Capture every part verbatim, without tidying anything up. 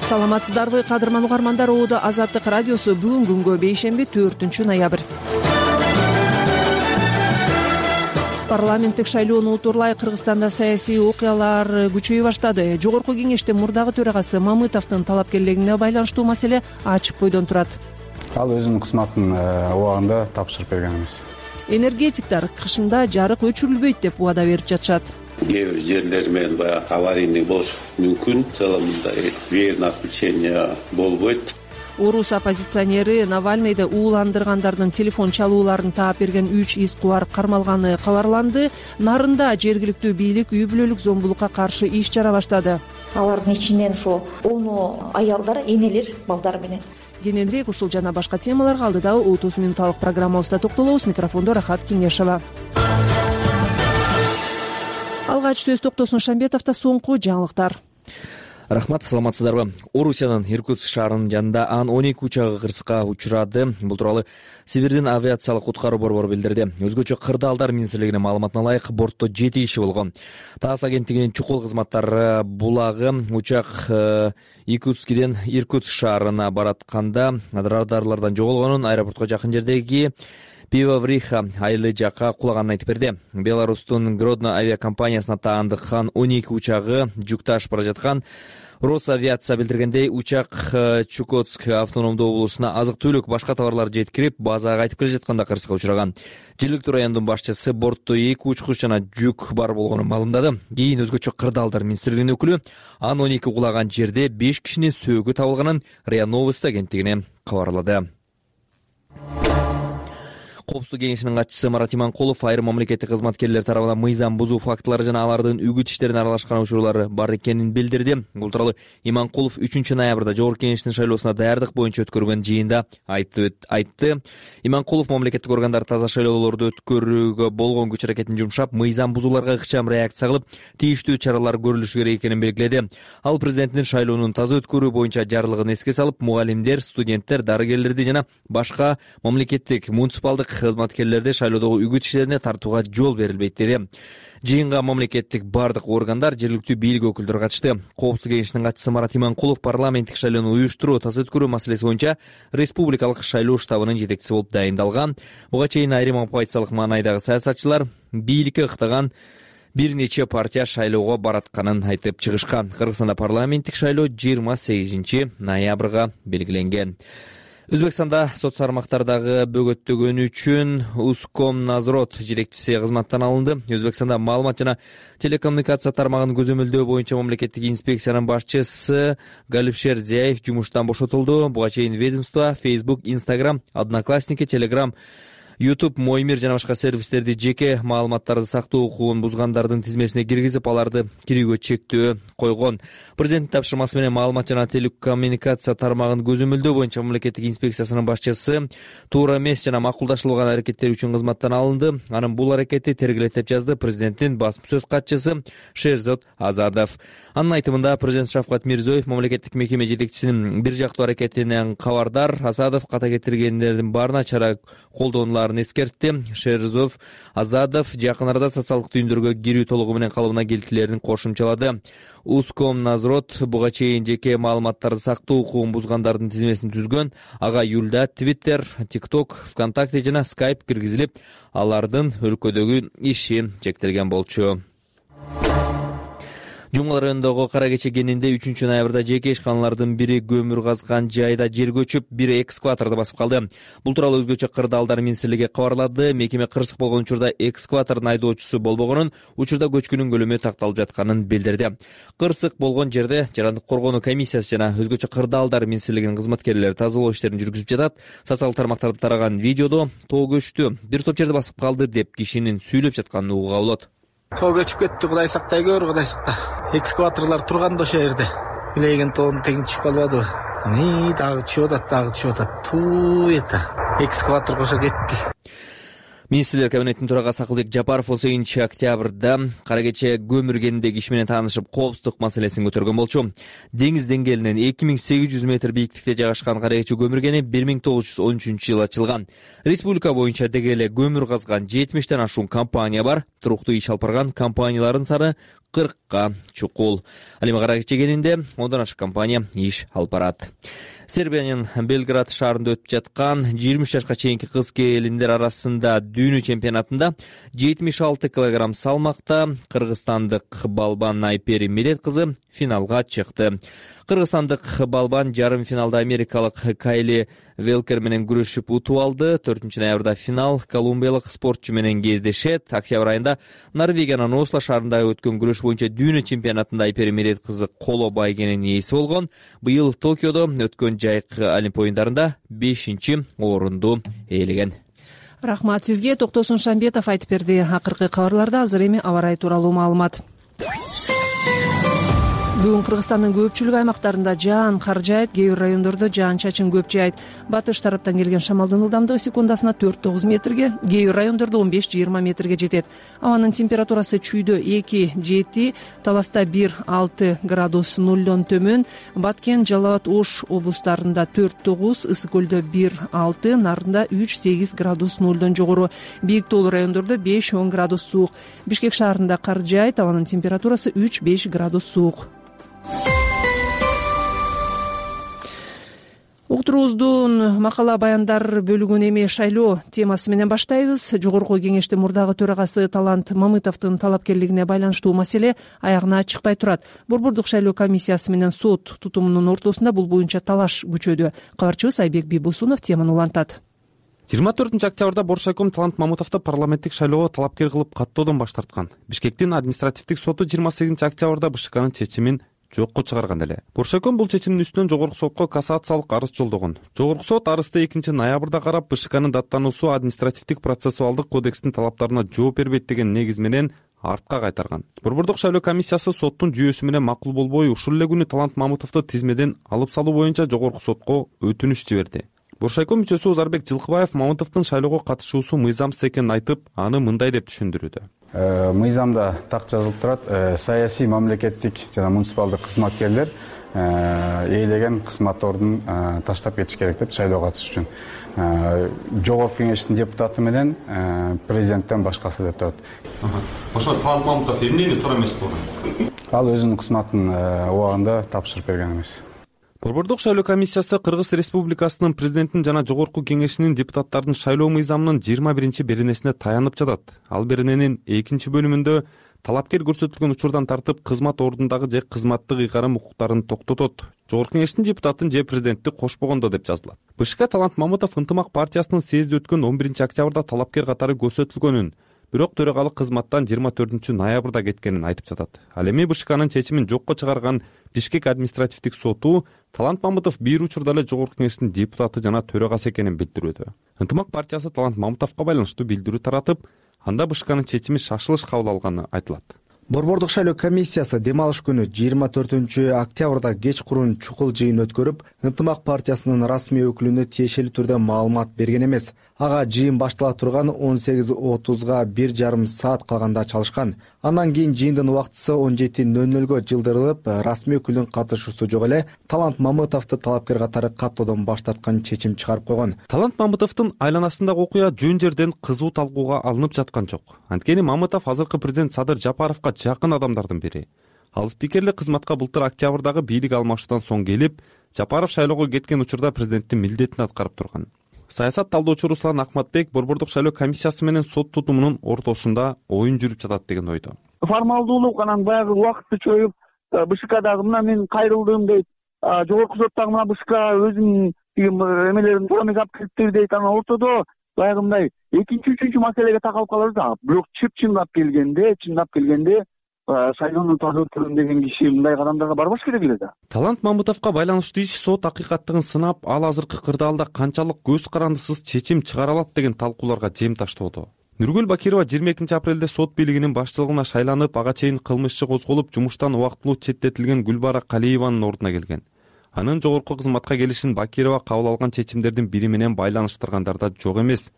Саламатсыздарбы кадырман угармандар, Оодо Азаттык радиосу бүгүн күнгө бейшемби төртүнчү ноябрь. Парламенттик шайлоону утурлай Кыргызстанда саясий окуялар күчөйө баштады. Жогорку кеңештин мурдагы төрагасы Мамытовдун талапкерлигине байланыштуу маселе ачык бойдон турат. Ал өзүнүн кызматын убагында тапшырып берген эмес. Энергетиктер кышында жарык өчүрүлбөйт деп убада берип жатышат. Кээ бир жерлер менен баягы аварийный болушу мүмкүн. В целом мындай верное отключение болбойт. Орус оппозиционери Навальныйды ууландыргандардын телефон чалууларын таап берген үч из кубар кармалганы кабарланды. Нарында жергиликтүү бийлик үй бүлөлүк зомбулукка каршы иш чара баштады. Алардын ичинен ошо ону аялдар, энелер, балдар менен. Кененирээк ушул жана башка темаларга алдыдагы отуз мүнөттүк программабызда токтолобуз. Микрофондо Рахат Кеңешова. Алгач сөз токтосун Шамбетовдо соңку жаңылыктар. Рахмат, саламатсыздарбы? Орусиянын Иркутск шаарынын жанында Ан он эки учагы кырсыкка учурады. Бул тууралуу Сибирдин авиациялык куткаруу борбору билдирди. Өзгөчө Кырдаалдар министрлигинин маалыматына ылайык, бортто жети киши болгон. ТАСС агенттигинин чукул кызматтары булагы учак Иркутскиден Иркутск шаарына баратканда радарлардан жоголгонун, аэропортко жакын жердеги Пивовриха айылы жакка кулаганын айтып берди. Беларустун Гродно авиакомпаниясына таандык Ан он эки учагы жүк ташып бара жаткан. Росавиация билдиргендей, учак Чукотск автономдуу облусуна азык-түлүк, башка товарлар жеткирип, базага кайтып келе жатканда кырсыкка учураган. Жергиликтүү райондун башчысы бортто эки учкуч жана жүк бар болгонун маалымдады. Кийин өзгөчө Кырдаалдар министрлигинин өкүлү Ан он эки кулаган жерде беш кишинин сөөгү табылганын РИА Новости агенттигине кабарлады. Коопсуздук кеңешинин катчысы Марат Иманкулов айрым мамлекеттик кызматкерлер тарабынан мыйзам бузуу фактылары жана алардын үгүт иштерине аралашкан учурлары бар экенин билдирди. Бул тууралуу Иманкулов үчүнчү ноябрда Жогорку кеңештин шайлоосуна даярдык боюнча өткөрүлгөн жыйында айтты. Иманкулов мамлекеттик органдар таза шайлоолорду өткөрүүгө болгон күч аракетин жумшап, мыйзам бузууларга ыкчам реакция кылып, тийиштүү чаралар көрүлүшү керек экенин белгиледи. Ал президенттин шайлоонун таза өткөрүү боюнча жарлыгын эске салып, мугалимдер, студенттер, дарыгерлерди жана башка мамлекеттик муниципалдык кызматкерлерди шайлоодогу үгүт иштерине тартууга жол берилбейт деди. Жыйынга мамлекеттик бардык органдар, жергиликтүү бийлик өкүлдөрү катышты. Коопсуздук кеңешинин катчысы Марат Иманкулов парламенттик шайлоону уюштуруу, таза өткөрүү маселеси боюнча республикалык шайлоо штабынын жетекчиси болуп дайындалган. Буга чейин айрым оппозициялык маанайдагы саясатчылар бийликке ыктаган бир нече партия шайлоого баратканын айтып чыгышкан. Кыргызстанда парламенттик шайлоо жыйырма сегизинчи ноябрга белгиленген. Өзбекстанда сот тармактардагы бөгөттөгөнү үчүн Ускомнадзор жетекчиси кызматтан алынды. Өзбекстанда маалымат жана телекоммуникация тармагын көзөмөлдөө боюнча мамлекеттик инспекциянын башчысы Галипшер Зияев жумуштан бошотулду. Буга чейин ведомство Facebook, Instagram, Одноклассники, Telegram, YouTube, Мой мир жана башка сервистерди жеке маалыматтарды сактоо укугун бузгандардын тизмесине киргизип, аларды кирүүгө чектөө койгон. Президенттин тапшырмасы менен маалымат жана телекоммуникация тармагын көзөмөлдөө боюнча мамлекеттик инспекциясынын башчысы туура эмес жана макулдаштырылган аракеттер үчүн кызматтан алынды. Анын бул аракети тергелет деп жазды президенттин басма сөз катчысы Шерзод Азадов. Анын айтымында президент Шавкат Мирзиёев мамлекеттик мекеме жетекчисинин бир жактуу аракетинен кабардар. Азадов ката кетиргендердин баарына чара колдонуларын эскертти. Шерзов Азадов жакын арада социалдык түйүндөргө кирүү толугу менен калыбына келтилерин кошумчалады. Ускомнадзор буга чейин жеке маалыматтарды сактоо укугун бузгандардын тизмесин түзгөн. Ага июлда Twitter, TikTok, ВКонтакте жана Skype киргизилип, алардын өлкөдөгү иши чектелген болчу. Жумгал районундагы Кара Кече кенинде үчүнчү ноябрда жеке ишканалардын бири көмүр казган жайда жер көчүп, бир экскаваторду басып калды. Бул тууралуу өзгөчө Кырдаалдар министрлиги кабарлады. Мекеме кырсык болгон учурда экскаватордун айдоочусу болбогонун, учурда көчкүнүн көлөмү такталып жатканын билдирди. Кырсык болгон жерде Жарандык коргонуу комиссиясы жана өзгөчө Кырдаалдар министрлигинин кызматкерлери тазалоо иштерин жүргүзүп жатат. Социалдык тармактарда тараган видеодо тоо көчтү, бир топ жерде басып калды деп кишинин сүйлөп жатканын угууга болот. Тоо көчүп кетти, Кудай сактай көр, Кудай сакта. Экскаваторлор турган да ошол жерде. Билеген тоонун тегин чыгып калбадыбы? Аны дагы чыгып атат, дагы чыгып атат. Туу эта. Экскаватор кошо кетти. Министрлер кабинетинин төрагасы Акылбек Жапаров отузунчу октябрда Кара Кече көмүр кенинде киши менен таанышып, коопсуздук маселесин көтөргөн болчу. Деңиз деңгээлинен эки миң сегиз жүз метр бийиктикте жайгашкан Кара Кече көмүр кени бир миң тогуз жүз он үчүнчү жылы ачылган. Республика боюнча деги эле көмүр казган жетимиштен ашуун компания бар. Туруктуу иш алып барган компаниялардын саны кыркка чукул. Ал эми кара чегенинде ондон ашык компания иш алып барат. Сербиянын Белград шаарында өтүп жаткан жыйырма үч жашка чейинки кыз келиндер арасында дүйнө чемпионатында жетимиш алты килограмм салмакта кыргызстандык балбан Айпери Милет кызы финалга чыкты. Кыргызстандык балбан жарым финалда америкалык Кайли Велкер менен күрөшүп утуп алды. төртүнчү ноябрда финал колумбиялык спортчу менен кездешет. Октябрь айында Норвегиянын Осло шаарында өткөн күрөш боюнча дүйнө чемпионатында Айпери Милет кызы коло байгенин ээси болгон. Быйыл Токиодо өткөн жайкы Олимп оюндарында бешинчи орунду ээлеген. Рахмат сизге. Токтосун Шамбетов айтып берди. Акыркы кабарларда азыр эми аба ырайы тууралуу маалымат. Бүгүн Кыргызстандын көпчүлүк аймактарында жаан кар жаайт, кээ бир райондордо жаан-чачын көп жаайт. Батыш тараптан келген шамалдын ылдамдыгы секундасына төрт тогуз метрге, кээ бир райондордо он беш жыйырма метрге жетет. Абанын температурасы чүйдө эки жети, Таласта бир алты градус нолдон төмөн, Баткен, Жалал абад, Ош облустарында төрт тогуз, Ысык көлдө бир алты, Нарында үч сегиз градус нолдон жогору, Бийик тоолуу райондордо беш он градус суук. Бишкек шаарында кар жаайт, абанын температурасы үч беш градус суук. Уктуруубуздун макала баяндар бөлүгүн эми шайлоо темасы менен баштайбыз. Жогорку кеңештин мурдагы төрагасы Талант Мамытовдун талапкерлигине байланыштуу маселе аягына чыкпай турат. Борбордук шайлоо комиссиясы менен сот тутумунун ортосунда бул боюнча талаш күчөдү. Кабарчыбыз Айбек Бийбосунов теманы улантат. жыйырма төртүнчү октябрда Боршайком Талант Мамытовду парламенттик шайлоого талапкер кылып каттоодон баш тарткан. Бишкектин административдик соту жыйырма сегизинчи октябрда БШКнын чечимин жокко чыгарган эле. Боршайком бул чечимдин үстүнөн жогорку сотко кассациялык арыз жолдогон. Жогорку сот арызды экинчи ноябрда карап, БШКнын даттануусу административдик процессуалдык кодекстин талаптарына жооп бербейт деген негиз менен артка кайтарган. Борбордук шайлоо комиссиясы соттун жүйөсү менен макул болбой, ушул эле күнү Талант Мамытовду тизмеден алып салуу боюнча жогорку сотко өтүнүч жиберди. Боршайком мүчөсү Узарбек Жылкыбаев Мамытовдун шайлоого катышуусу мыйзамсыз экенин айтып, аны мындай деп түшүндүрүүдө. Мыйзамда так жазылып турат, саясий мамлекеттик жана муниципалдык кызматкерлер ээлеген кызматтордун таштап кетиш керек деп шайлоого катышыш үчүн. Жогорку кеңештин депутаты менен президенттен башкасы деп турат. Ошо Талант Мамытов эмнени туура эмес болгон? Ал өзүнүн кызматын убагында тапшырып берген эмес. Борбордук шайлоо комиссиясы Кыргыз Республикасынын президентин жана жогорку кеңешинин депутаттардын шайлоо мыйзамынын жыйырма биринчи беренесине таянып жатат. Ал берененин экинчи бөлүмүндө талапкер көрсөтүлгөн учурдан тартып кызмат ордундагы же кызматтык ыйгарым укуктарын токтотот. Жогорку кеңештин депутатын же президентти кошпогондо деп жазылат. БШК Талант Мамытов Ынтымак партиясынын съезди өткөн он биринчи октябрда талапкер катары көрсөтүлгөнүн, бирок төрагалык кызматтан жыйырма төртүнчү ноябрда кеткенин айтып жатат. Ал эми БШКнын чечимин жокко чыгарган Бишкек административдик соту Талант Мамытов бир учурда эле жогорку кеңештин депутаты жана төрагасы экенин билдирүүдө. Ынтымак партиясы Талант Мамытовго байланыштуу билдирүү таратып, анда БШКнын чечими шашылыш кабыл алганы айтылат. Борбордук шайлоо комиссиясы дем алыш күнү жыйырма төртүнчү октябрда кечкурун чукул жыйын өткөрүп, Ынтымак партиясынын расмий өкүлүнө тиешелүү түрдө маалымат берген эмес. Ага жыйын баштала турган он сегиз отузга бир жарым саат калганда чалышкан. Андан кийин жыйындын убактысы он жети нөл нөлгө жылдырылып, расмий өкүлдүн катышуусу жок эле Талант Мамытовду талапкер катары каттоодон баш тарткан чечим чыгарып койгон. Талант Мамытовдун айланасындагы окуя жөн жерден кызуу талкууга алынып жаткан жок. Анткени Мамытов азыркы президент Садыр Жапаровго жакын адамдардын бири. Ал спикерлик кызматка былтыр октябрдагы бийлик алмашуудан соң келип, Жапаров шайлоого кеткен учурда президенттин милдетин аткарып турган. Саясат талдоочу Руслан Акматбек Борбордук шайлоо комиссиясы менен сот тутумунун ортосунда оюн жүрүп жатат деген ойдо. Формалдуулук анан баягы убакытты чоюп, БШКдагы мына мен кайрылдым дейт, жогорку соттагы мына БШК өзүнүн эмелерин туура эмес алып келиптир дейт. Анан ортодо баягы мындай экинчи үчүнчү маселеге такалып калабыз. Бирок чып-чындап келгенде, чындап келгенде шайлоону таза өткөрөм деген киши мындай кадамдарга барбаш керек эле да. Талант Мамытовго байланыштуу иш сот акыйкаттыгын сынап, ал азыркы кырдаалда канчалык көз карандысыз чечим чыгара алат деген талкууларга жем таштоодо. Нургүл Бакирова жыйырма экинчи апрелде сот бийлигинин башчылыгына шайланып, ага чейин кылмыш иши козголуп, жумуштан убактылуу четтетилген Гүлбара Калиеванын ордуна келген. Анын жогорку кызматка келишин Бакирова кабыл алган чечимдердин бири менен байланыштыргандар да жок эмес.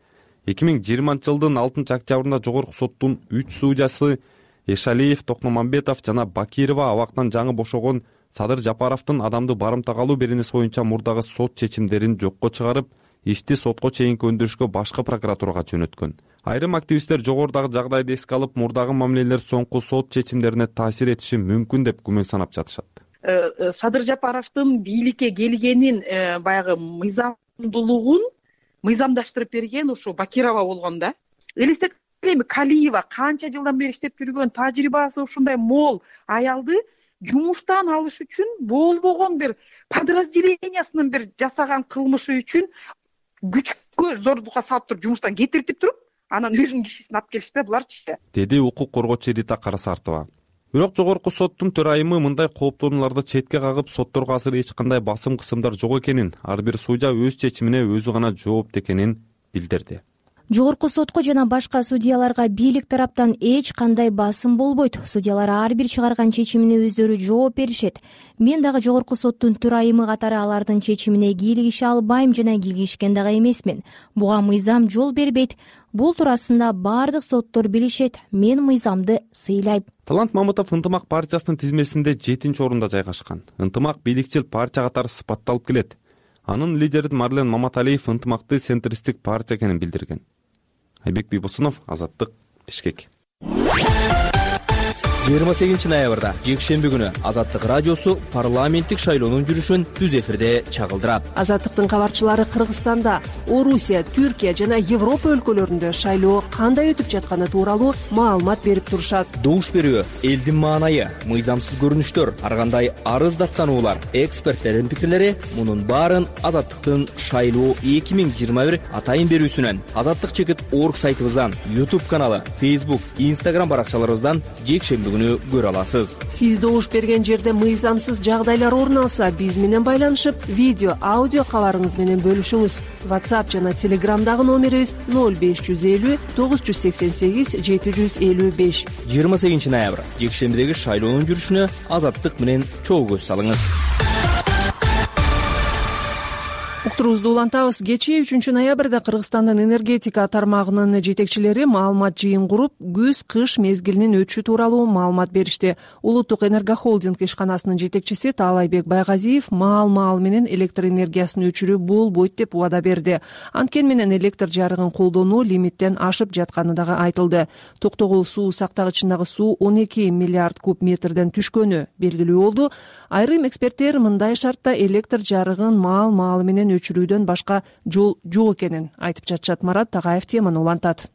эки миң жыйырманчы жылдын алтынчы октябрында жогорку соттун үч судьясы Эшалиев, Токномамбетов жана Бакирова абактан жаңы бошогон Садыр Жапаровдун адамды барымтага алуу беренеси боюнча мурдагы сот чечимдерин жокко чыгарып, ишти сотко чейинки өндүрүшкө башкы прокуратурага жөнөткөн. Айрым активисттер жогорудагы жагдайды эске алып, мурдагы мамилелер соңку сот чечимдерине таасир этиши мүмкүн деп күмөн санап жатышат. Садыр Жапаровдун бийликке келгенин баягы мыйзамдуулугун мыйзамдаштырып берген ушу Бакирова болгон да. Элестетип эми Калиева канча жылдан бери иштеп жүргөн, тажрыйбасы ушундай мол аялды жумуштан алыш үчүн болбогон бир подразделениясынын бир жасаган кылмышы үчүн күчкө зордукка салып туруп жумуштан кетиртип туруп, анан өзүнүн кишисин алып келишти буларчы, деди укук коргоочу Рита Карасартова. Бирок жогорку соттун төрайымы мындай кооптонууларды четке кагып, сотторго азыр эч кандай басым кысымдар жок экенин, ар бир судья өз чечимине өзү гана жоопту экенин билдирди. Жогорку сотко жана башка судьяларга бийлик тараптан эч кандай басым болбойт. Судьялар ар бир чыгарган чечимине өздөрү жооп беришет. Мен дагы жогорку соттун төрайымы катары алардын чечимине кийлигише албайм жана кийлигишкен дагы эмесмин. Буга мыйзам жол бербейт. Бул туурасында бардык соттор билишет. Мен мыйзамды сыйлайм. Талант Мамытов Ынтымак партиясынын тизмесинде жетинчи орунда жайгашкан. Ынтымак бийликчил партия катары сыпатталып келет. Анын лидери Марлен Маматалиев ынтымакты центристтик партия экенин билдирген. Айбек Бийбосунов, Азаттык, Бишкек. жыйырма сегизинчи ноябрда жекшемби күнү Азаттык радиосу парламенттик шайлоонун жүрүшүн түз эфирде чагылдырат. Азаттыктын кабарчылары Кыргызстанда, Орусия, Түркия жана Европа өлкөлөрүндө шайлоо кандай өтүп жатканы тууралуу маалымат берип турушат. Добуш берүү, элдин маанайы, мыйзамсыз көрүнүштөр, ар кандай арыз даттануулар, эксперттердин пикирлери — мунун баарын Азаттыктын шайлоо эки миң жыйырма бир атайын берүүсүнөн, Азаттык чекит орг сайтыбыздан, YouTube каналы, Facebook, Instagram баракчаларыбыздан жекшемби күнү көрө аласыз. Сиз добуш берген жерде мыйзамсыз жагдайлар орун алса, биз менен байланышып, видео, аудио кабарыңыз менен бөлүшүңүз. WhatsApp жана Telegramдагы номерибиз ноль беш жүз элүү тогуз жүз сексен сегиз жети жүз элүү беш. жыйырма сегизинчи ноябрь жекшембидеги шайлоонун жүрүшүнө Азаттык менен чогуу көз салыңыз. Уктурубузду улантабыз. Кечээ үчүнчү ноябрда Кыргызстандын энергетика тармагынын жетекчилери маалымат жыйын куруп, күз-кыш мезгилинин өтүшү тууралуу маалымат беришти. Улуттук энергохолдинг ишканасынын жетекчиси Таалайбек Байгазиев маал-маал менен электр энергиясын өчүрүү болбойт деп убада берди. Анткени менен электр жарыгын колдонуу лимиттен ашып жатканы дагы айтылды. Токтогул суу сактагычындагы суу он эки миллиард куб метрден түшкөнү белгилүү болду. Айрым эксперттер мындай шартта электр жарыгын маал-маал менен өчүрүүдөн башка жол жок экенин айтып жатышат. Марат Тагаев теманы улантат.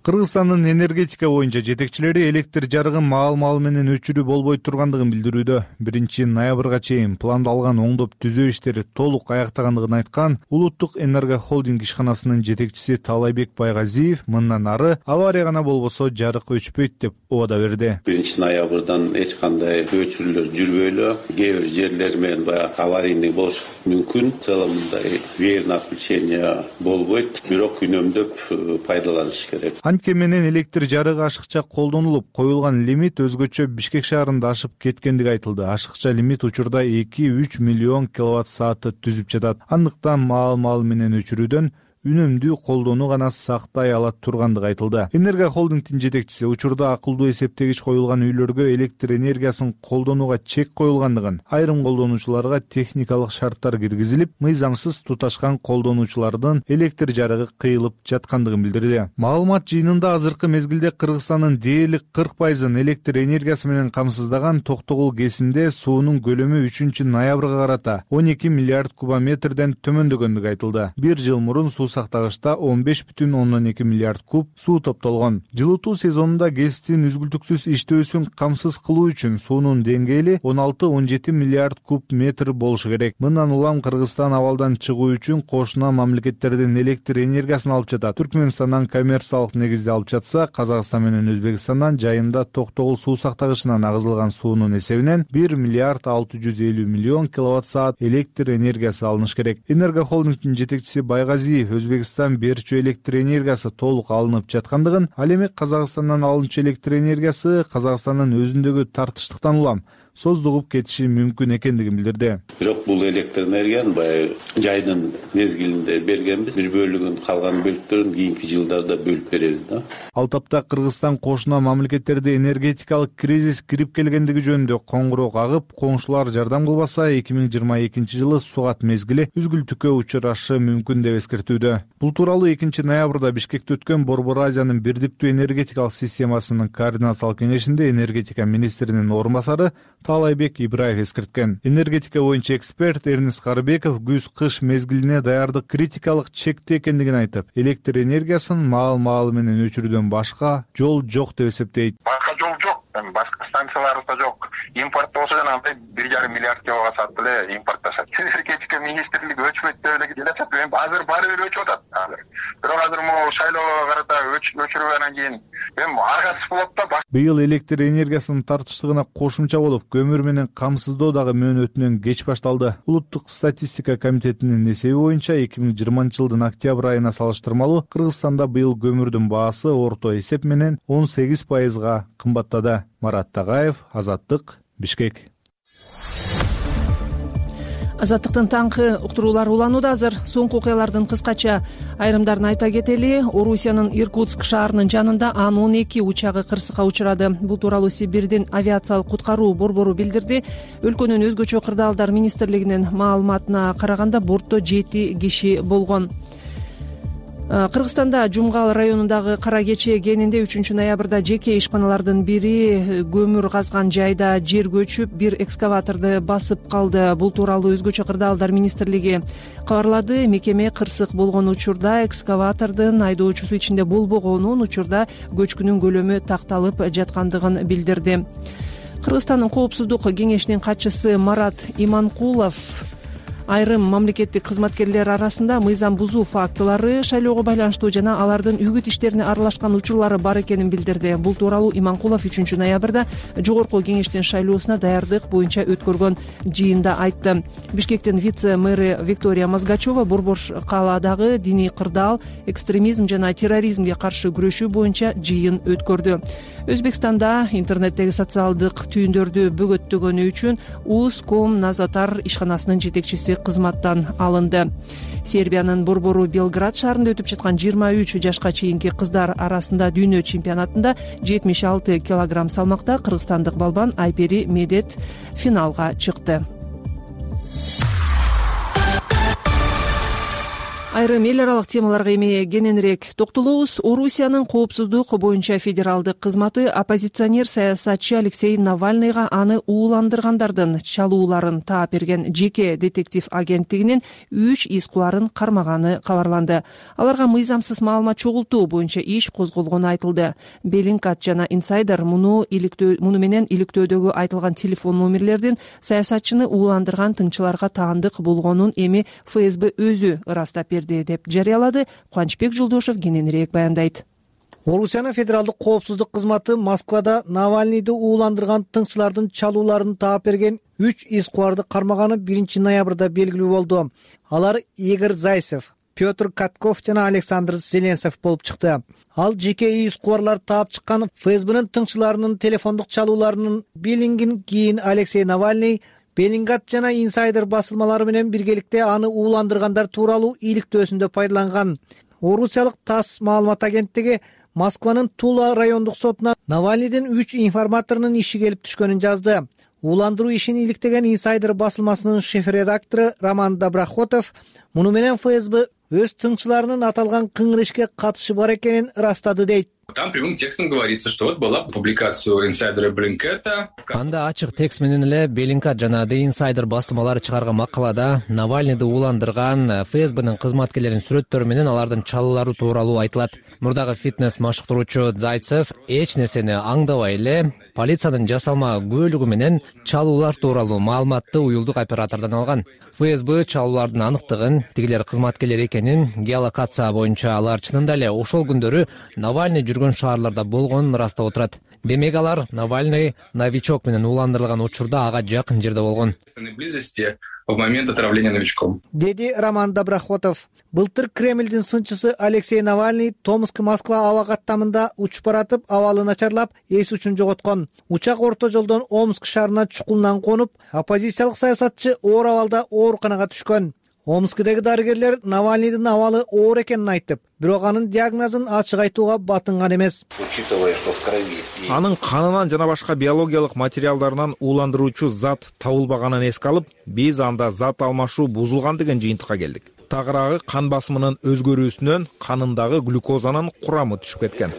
Кыргызстандын энергетика боюнча жетекчилери электр жарыгын маал-маал менен өчүрүү болбой тургандыгын билдирүүдө. биринчи ноябрга чейин пландалган оңдоп түзөө иштери толук аяктагандыгын айткан Улуттук энергохолдинг ишканасынын жетекчиси Таалайбек Байгазиев мындан ары авария гана болбосо жарык өчпөйт деп убада берди. биринчи ноябрдан эч кандай өчүрүүлөр жүрбөйлү. Кээ бир жерлер менен баягы аварийный болуш мүмкүн. В целом мындай верное отключение болбойт, бирок үнөмдөп пайдаланыш керек. Анткени менен электр жарыгы ашыкча колдонулуп, коюлган лимит өзгөчө Бишкек шаарында ашып кеткендиги айтылды. Ашыкча лимит учурда эки үч миллион киловатт саатты түзүп жатат. Андыктан маал-маал менен өчүрүүдөн үнөмдүү колдонуу гана сактай алат тургандыгы айтылды. Энергохолдингдин жетекчиси учурда акылдуу эсептегич коюлган үйлөргө электр энергиясын колдонууга чек коюлгандыгын, айрым колдонуучуларга техникалык шарттар киргизилип, мыйзамсыз туташкан колдонуучулардын электр жарыгы кыйылып жаткандыгын билдирди. Маалымат жыйынында азыркы мезгилде Кыргызстандын дээрлик кырк пайызын электр энергиясы менен камсыздаган Токтогул КЭСинде суунун көлөмү үчүнчү ноябрга карата он эки миллиард кубометрден төмөндөгөндүгү айтылды. Бир жыл мурун суу сактагычта он беш бүтүн ондон эки миллиард куб суу топтолгон. Жылытуу сезонунда КЭСтин үзгүлтүксүз иштөөсүн камсыз кылуу үчүн суунун деңгээли он алты он жети миллиард куб метр болушу керек. Мындан улам Кыргызстан абалдан чыгуу үчүн кошуна мамлекеттерден электр энергиясын алып жатат. Түркмөнстандан коммерциялык негизде алып жатса, Казакстан менен Өзбекстандан жайында Токтогул суу сактагычынан агызылган суунун эсебинен бир миллиард алты жүз элүү миллион киловатт саат электр энергиясы алыныш керек. Энергохолдингдин жетекчиси Байгазиев Өзбекстан берчү электр энергиясы толук алынып жаткандыгын, ал эми Казакстандан алынчу электр энергиясы Казакстандын өзүндөгү тартыштыктан улам создугуп кетиши мүмкүн экендигин билдирди. Бирок бул электр энергияны баягы жайдын мезгилинде бергенбиз. Бир бөлүгүн калган бөлүктөрүн кийинки жылдарда бөлүп беребиз да. Ал тапта Кыргызстан кошуна мамлекеттерде энергетикалык кризис кирип келгендиги жөнүндө коңгуроо агып, коңшулар жардам кылбаса эки миң жыйырма экинчи жылы сугат мезгили үзгүлтүккө учурашы мүмкүн деп эскертүүдө. Бул тууралуу экинчи ноябрда Бишкекте өткөн Борбор Азиянын бирдиктүү энергетикалык системасынын координациялык кеңешинде энергетика министринин орун басары Таалайбек Ибраев эскерткен. Энергетика боюнча эксперт Эрнис Карыбеков күз-кыш мезгилине даярдык критикалык чекте экендигин айтып, электр энергиясын маал-маалы менен өчүрүүдөн башка жол жок деп эсептейт. Башка жол жок. Башка станцияларыбыз да жок. Импорт болсо жанагындай бир жарым миллиард киловатт саат эле импортташат. Энергетика министрлиги өчпөйт деп эле келатат. Эми азыр баары бир өчүп атат азыр. Бирок азыр могу шайлоого карата өчүрүп анан кийин эми аргасыз болот да. Быйыл электр энергиясынын тартыштыгына кошумча болуп, көмүр менен камсыздоо дагы мөөнөтүнөн кеч башталды. Улуттук статистика комитетинин эсеби боюнча эки миң жыйырманчы жылдын октябрь айына салыштырмалуу Кыргызстанда быйыл көмүрдүн баасы орто эсеп менен он сегиз пайызга кымбаттады. Марат Тагаев, Азаттык, Бишкек. Азаттыктын таңкы уктуруулары уланууда азыр. Соңку окуялардын кыскача айрымдарын айта кетели. Орусиянын Иркутск шаарынын жанында Ан он эки учагы кырсыкка учурады. Бул тууралуу Сибирдин авиациялык куткаруу борбору билдирди. Өлкөнүн өзгөчө кырдаалдар министрлигинин маалыматына караганда бортто жети киши болгон. Кыргызстанда Жумгал районундагы Кара Кече кенинде үчүнчү ноябрда жеке ишканалардын бири көмүр казган жайда жер көчүп, бир экскаваторду басып калды. Бул тууралуу өзгөчө кырдаалдар министрлиги кабарлады. Мекеме кырсык болгон учурда экскаватордун айдоочусу ичинде болбогонун, учурда көчкүнүн көлөмү такталып жаткандыгын билдирди. Кыргызстандын коопсуздук кеңешинин катчысы Марат Иманкулов айрым мамлекеттик кызматкерлер арасында мыйзам бузуу фактылары, шайлоого байланыштуу жана алардын үгүт иштерине аралашкан учурлары бар экенин билдирди. Бул тууралуу Иманкулов үчүнчү ноябрда жогорку кеңештин шайлоосуна даярдык боюнча өткөргөн жыйында айтты. Бишкектин вице-мэри Виктория Мазгачева Борбор калаадагы диний кырдаал, экстремизм жана терроризмге каршы күрөшүү боюнча жыйын өткөрдү. Өзбекстанда интернеттеги социалдык түйүндөрдү бөгөттөгөнү үчүн Уском Назатар ишканасынын жетекчиси кызматтан алынды. Сербиянын борбору Белград шаарында өтүп жаткан жыйырма үч жашка чейинки кыздар арасында дүйнө чемпионатында жетимиш алты килограмм салмакта кыргызстандык балбан Айпери Медет финалга чыкты. Айрым эл аралык темаларга эми кененирээк токтолобуз. Орусиянын коопсуздук боюнча федералдык кызматы оппозиционер саясатчы Алексей Навальныйга аны ууландыргандардын чалууларын таап берген жеке детектив агенттигинин үч из кубарын кармаганы кабарланды. Аларга мыйзамсыз маалымат чогултуу боюнча иш козголгону айтылды. Беллингкат жана Инсайдер муну иликтөө муну менен иликтөөдөгү айтылган телефон номерлердин саясатчыны ууландырган тыңчыларга таандык болгонун эми эф эс бэ өзү ырастап берди деп жарыялады. Кубанычбек Жолдошев кененирээк баяндайт. Орусиянын федералдык коопсуздук кызматы Москвада Навальныйды ууландырган тыңчылардын чалууларын таап берген үч из кубарды кармаганы биринчи ноябрда белгилүү болду. Алар Игорь Зайцев, Петр Катков жана Александр Зеленцев болуп чыкты. Ал жеке из кубарлар таап чыккан эф эс бэнин тыңчыларынын телефондук чалууларынын билингин кийин Алексей Навальный Беллингкат жана Инсайдер басылмалары менен биргеликте аны ууландыргандар тууралуу иликтөөсүндө пайдаланган. Орусиялык ТАСС маалымат агенттиги Москванын Тула райондук сотуна Навальныйдын үч информаторунун иши келип түшкөнүн жазды. Ууландыруу ишин иликтеген Инсайдер басылмасынын шеф-редактору Роман Доброхотов муну менен эф эс бэ өз тыңчыларынын аталган кыңыр ишке катышы бар экенин ырастады дейт. Там прямым текстом говорится, что вот была публикация инсайдера Беллингката. Анда ачык текст менен эле Беллингкат жана The Insider басылмалары чыгарган макалада Навальныйды ууландырган эф эс бэнин кызматкерлеринин сүрөттөрү менен алардын чалуулары тууралуу айтылат. Мурдагы фитнес машыктыруучу Зайцев эч нерсени аңдабай эле полициянын жасалма күбөлүгү менен чалуулар тууралуу маалыматты уюлдук оператордон алган. эф эс бэ чалуулардын аныктыгын, тигилер кызматкерлер экенин, геолокация боюнча алар чынында эле ошол күндөрү Навальный жүргөн шаарларда болгонун ырастап отурат. Демек алар Навальный новичок менен ууландырылган учурда ага жакын жерде болгон. Близости в момент отравления новичком, — деди Роман Доброхотов. Былтыр Кремлдин сынчысы Алексей Навальный Томск-Москва аба каттамында учуп баратып, абалы начарлап, эс учун жоготкон. Учак орто жолдон Омск шаарына чукулунан конуп, оппозициялык саясатчы оор абалда ооруканага түшкөн. Омскдеги дарыгерлер Навальныйдын абалы оор экенин айтып, бирок анын диагнозун ачык айтууга батынган эмес. Анын канынан жана башка биологиялык материалдарынан ууландыруучу зат табылбаганын эске алып, биз анда зат алмашуу бузулган деген жыйынтыкка келдик. Тагыраагы кан басымынын өзгөрүүсүнөн канындагы глюкозанын курамы түшүп кеткен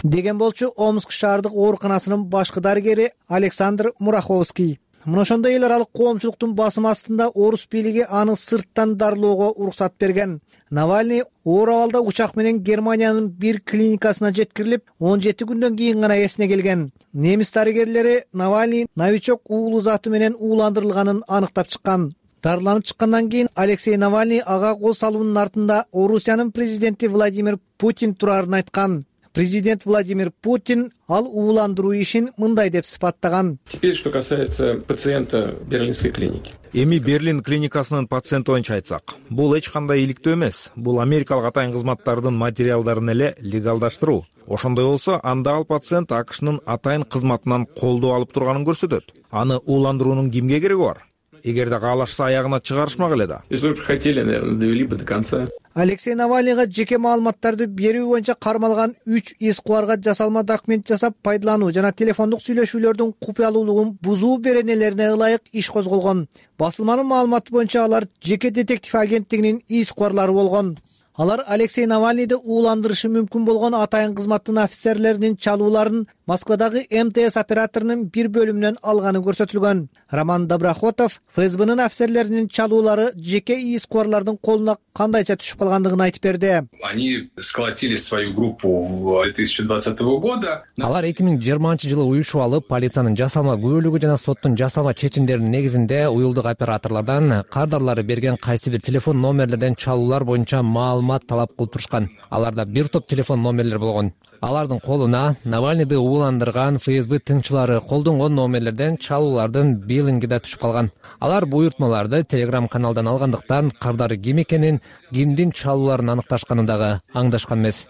деген болчу Омск шаардык ооруканасынын башкы дарыгери Александр Мураховский. Мына ошондой эл аралык коомчулуктун басымы астында орус бийлиги аны сырттан дарылоого уруксат берген. Навальный оор абалда учак менен Германиянын бир клиникасына жеткирилип, он жети күндөн кийин гана эсине келген. Немис дарыгерлери Навальный новичок уулуу заты менен ууландырылганын аныктап чыккан. Дарыланып чыккандан кийин Алексей Навальный ага кол салуунун артында Орусиянын президенти Владимир Путин турарын айткан. Президент Владимир Путин ал ууландыруу ишин мындай деп сыпаттаган. Теперь, что касается пациента Берлинской клиники. Эми Берлин клиникасынын пациенти боюнча айтсак, бул эч кандай иликтөө эмес. Бул Америкалык атайын кызматтардын материалдарын эле легалдаштыруу. Ошондой болсо, анда ал пациент АКШнын атайын кызматынан колдоо алып турганын көрсөтөт. Аны ууландыруунун кимге кереги бар? Эгерде каалашса аягына чыгарышмак эле да. Если бы хотели, наверное, довели бы до конца. Алексей Навальныйга жеке маалыматтарды берүү боюнча кармалган үч эс кубарга жасалма документ жасап пайдалануу жана телефондук сүйлөшүүлөрдүн купуялуулугун бузуу беренелерине ылайык иш козголгон. Басылманын маалыматы боюнча алар жеке детектив агенттигинин эс кубарлары болгон. Алар Алексей Навальныйды ууландырышы мүмкүн болгон атайын кызматтын офицерлеринин чалууларын Москвадагы эм тэ эс операторунун бир бөлүмүнөн алганы көрсөтүлгөн. Роман Доброхотов ФСБнын офицерлеринин чалуулары жеке эс кубарлардын колуна кандайча түшүп калгандыгын айтып берди. Они сколотили свою группу в две тысячи двадцатого года. Алар эки миң жыйырманчы жылы уюшуп алып, полициянын жасалма күбөлүгү жана соттун жасалма чечимдеринин негизинде уюлдук операторлордон кардарлары берген кайсы бир телефон номерлерден чалуулар боюнча маалымат талап кылып турушкан. Аларда бир топ телефон номерлер болгон. Алардын колуна Навальныйды ууландырган ФСБ тыңчылары колдонгон номерлерден чалуулардын биллинги да түшүп калган. Алар буйртмаларды Telegram каналдан алгандыктан кардары ким экенин, кимдин чалууларын аныкташканын дагы аңдашкан эмес.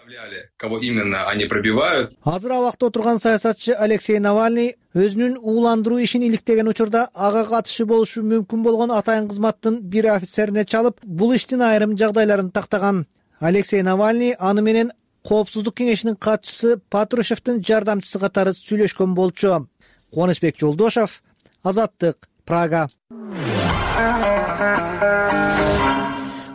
Кого именно они пробивают? Азыр абакта отурган саясатчы Алексей Навальный өзүнүн ууландыруу ишин иликтеген учурда ага катышы болушу мүмкүн болгон атайын кызматтын бир офицерине чалып, бул иштин айрым жагдайларын тактаган. Алексей Навальный аны менен Коопсуздук кеңешинин катчысы Патрушевдин жардамчысы катары сүйлөшкөн болчу. Кубанычбек Жолдошов, Азаттык, Прага.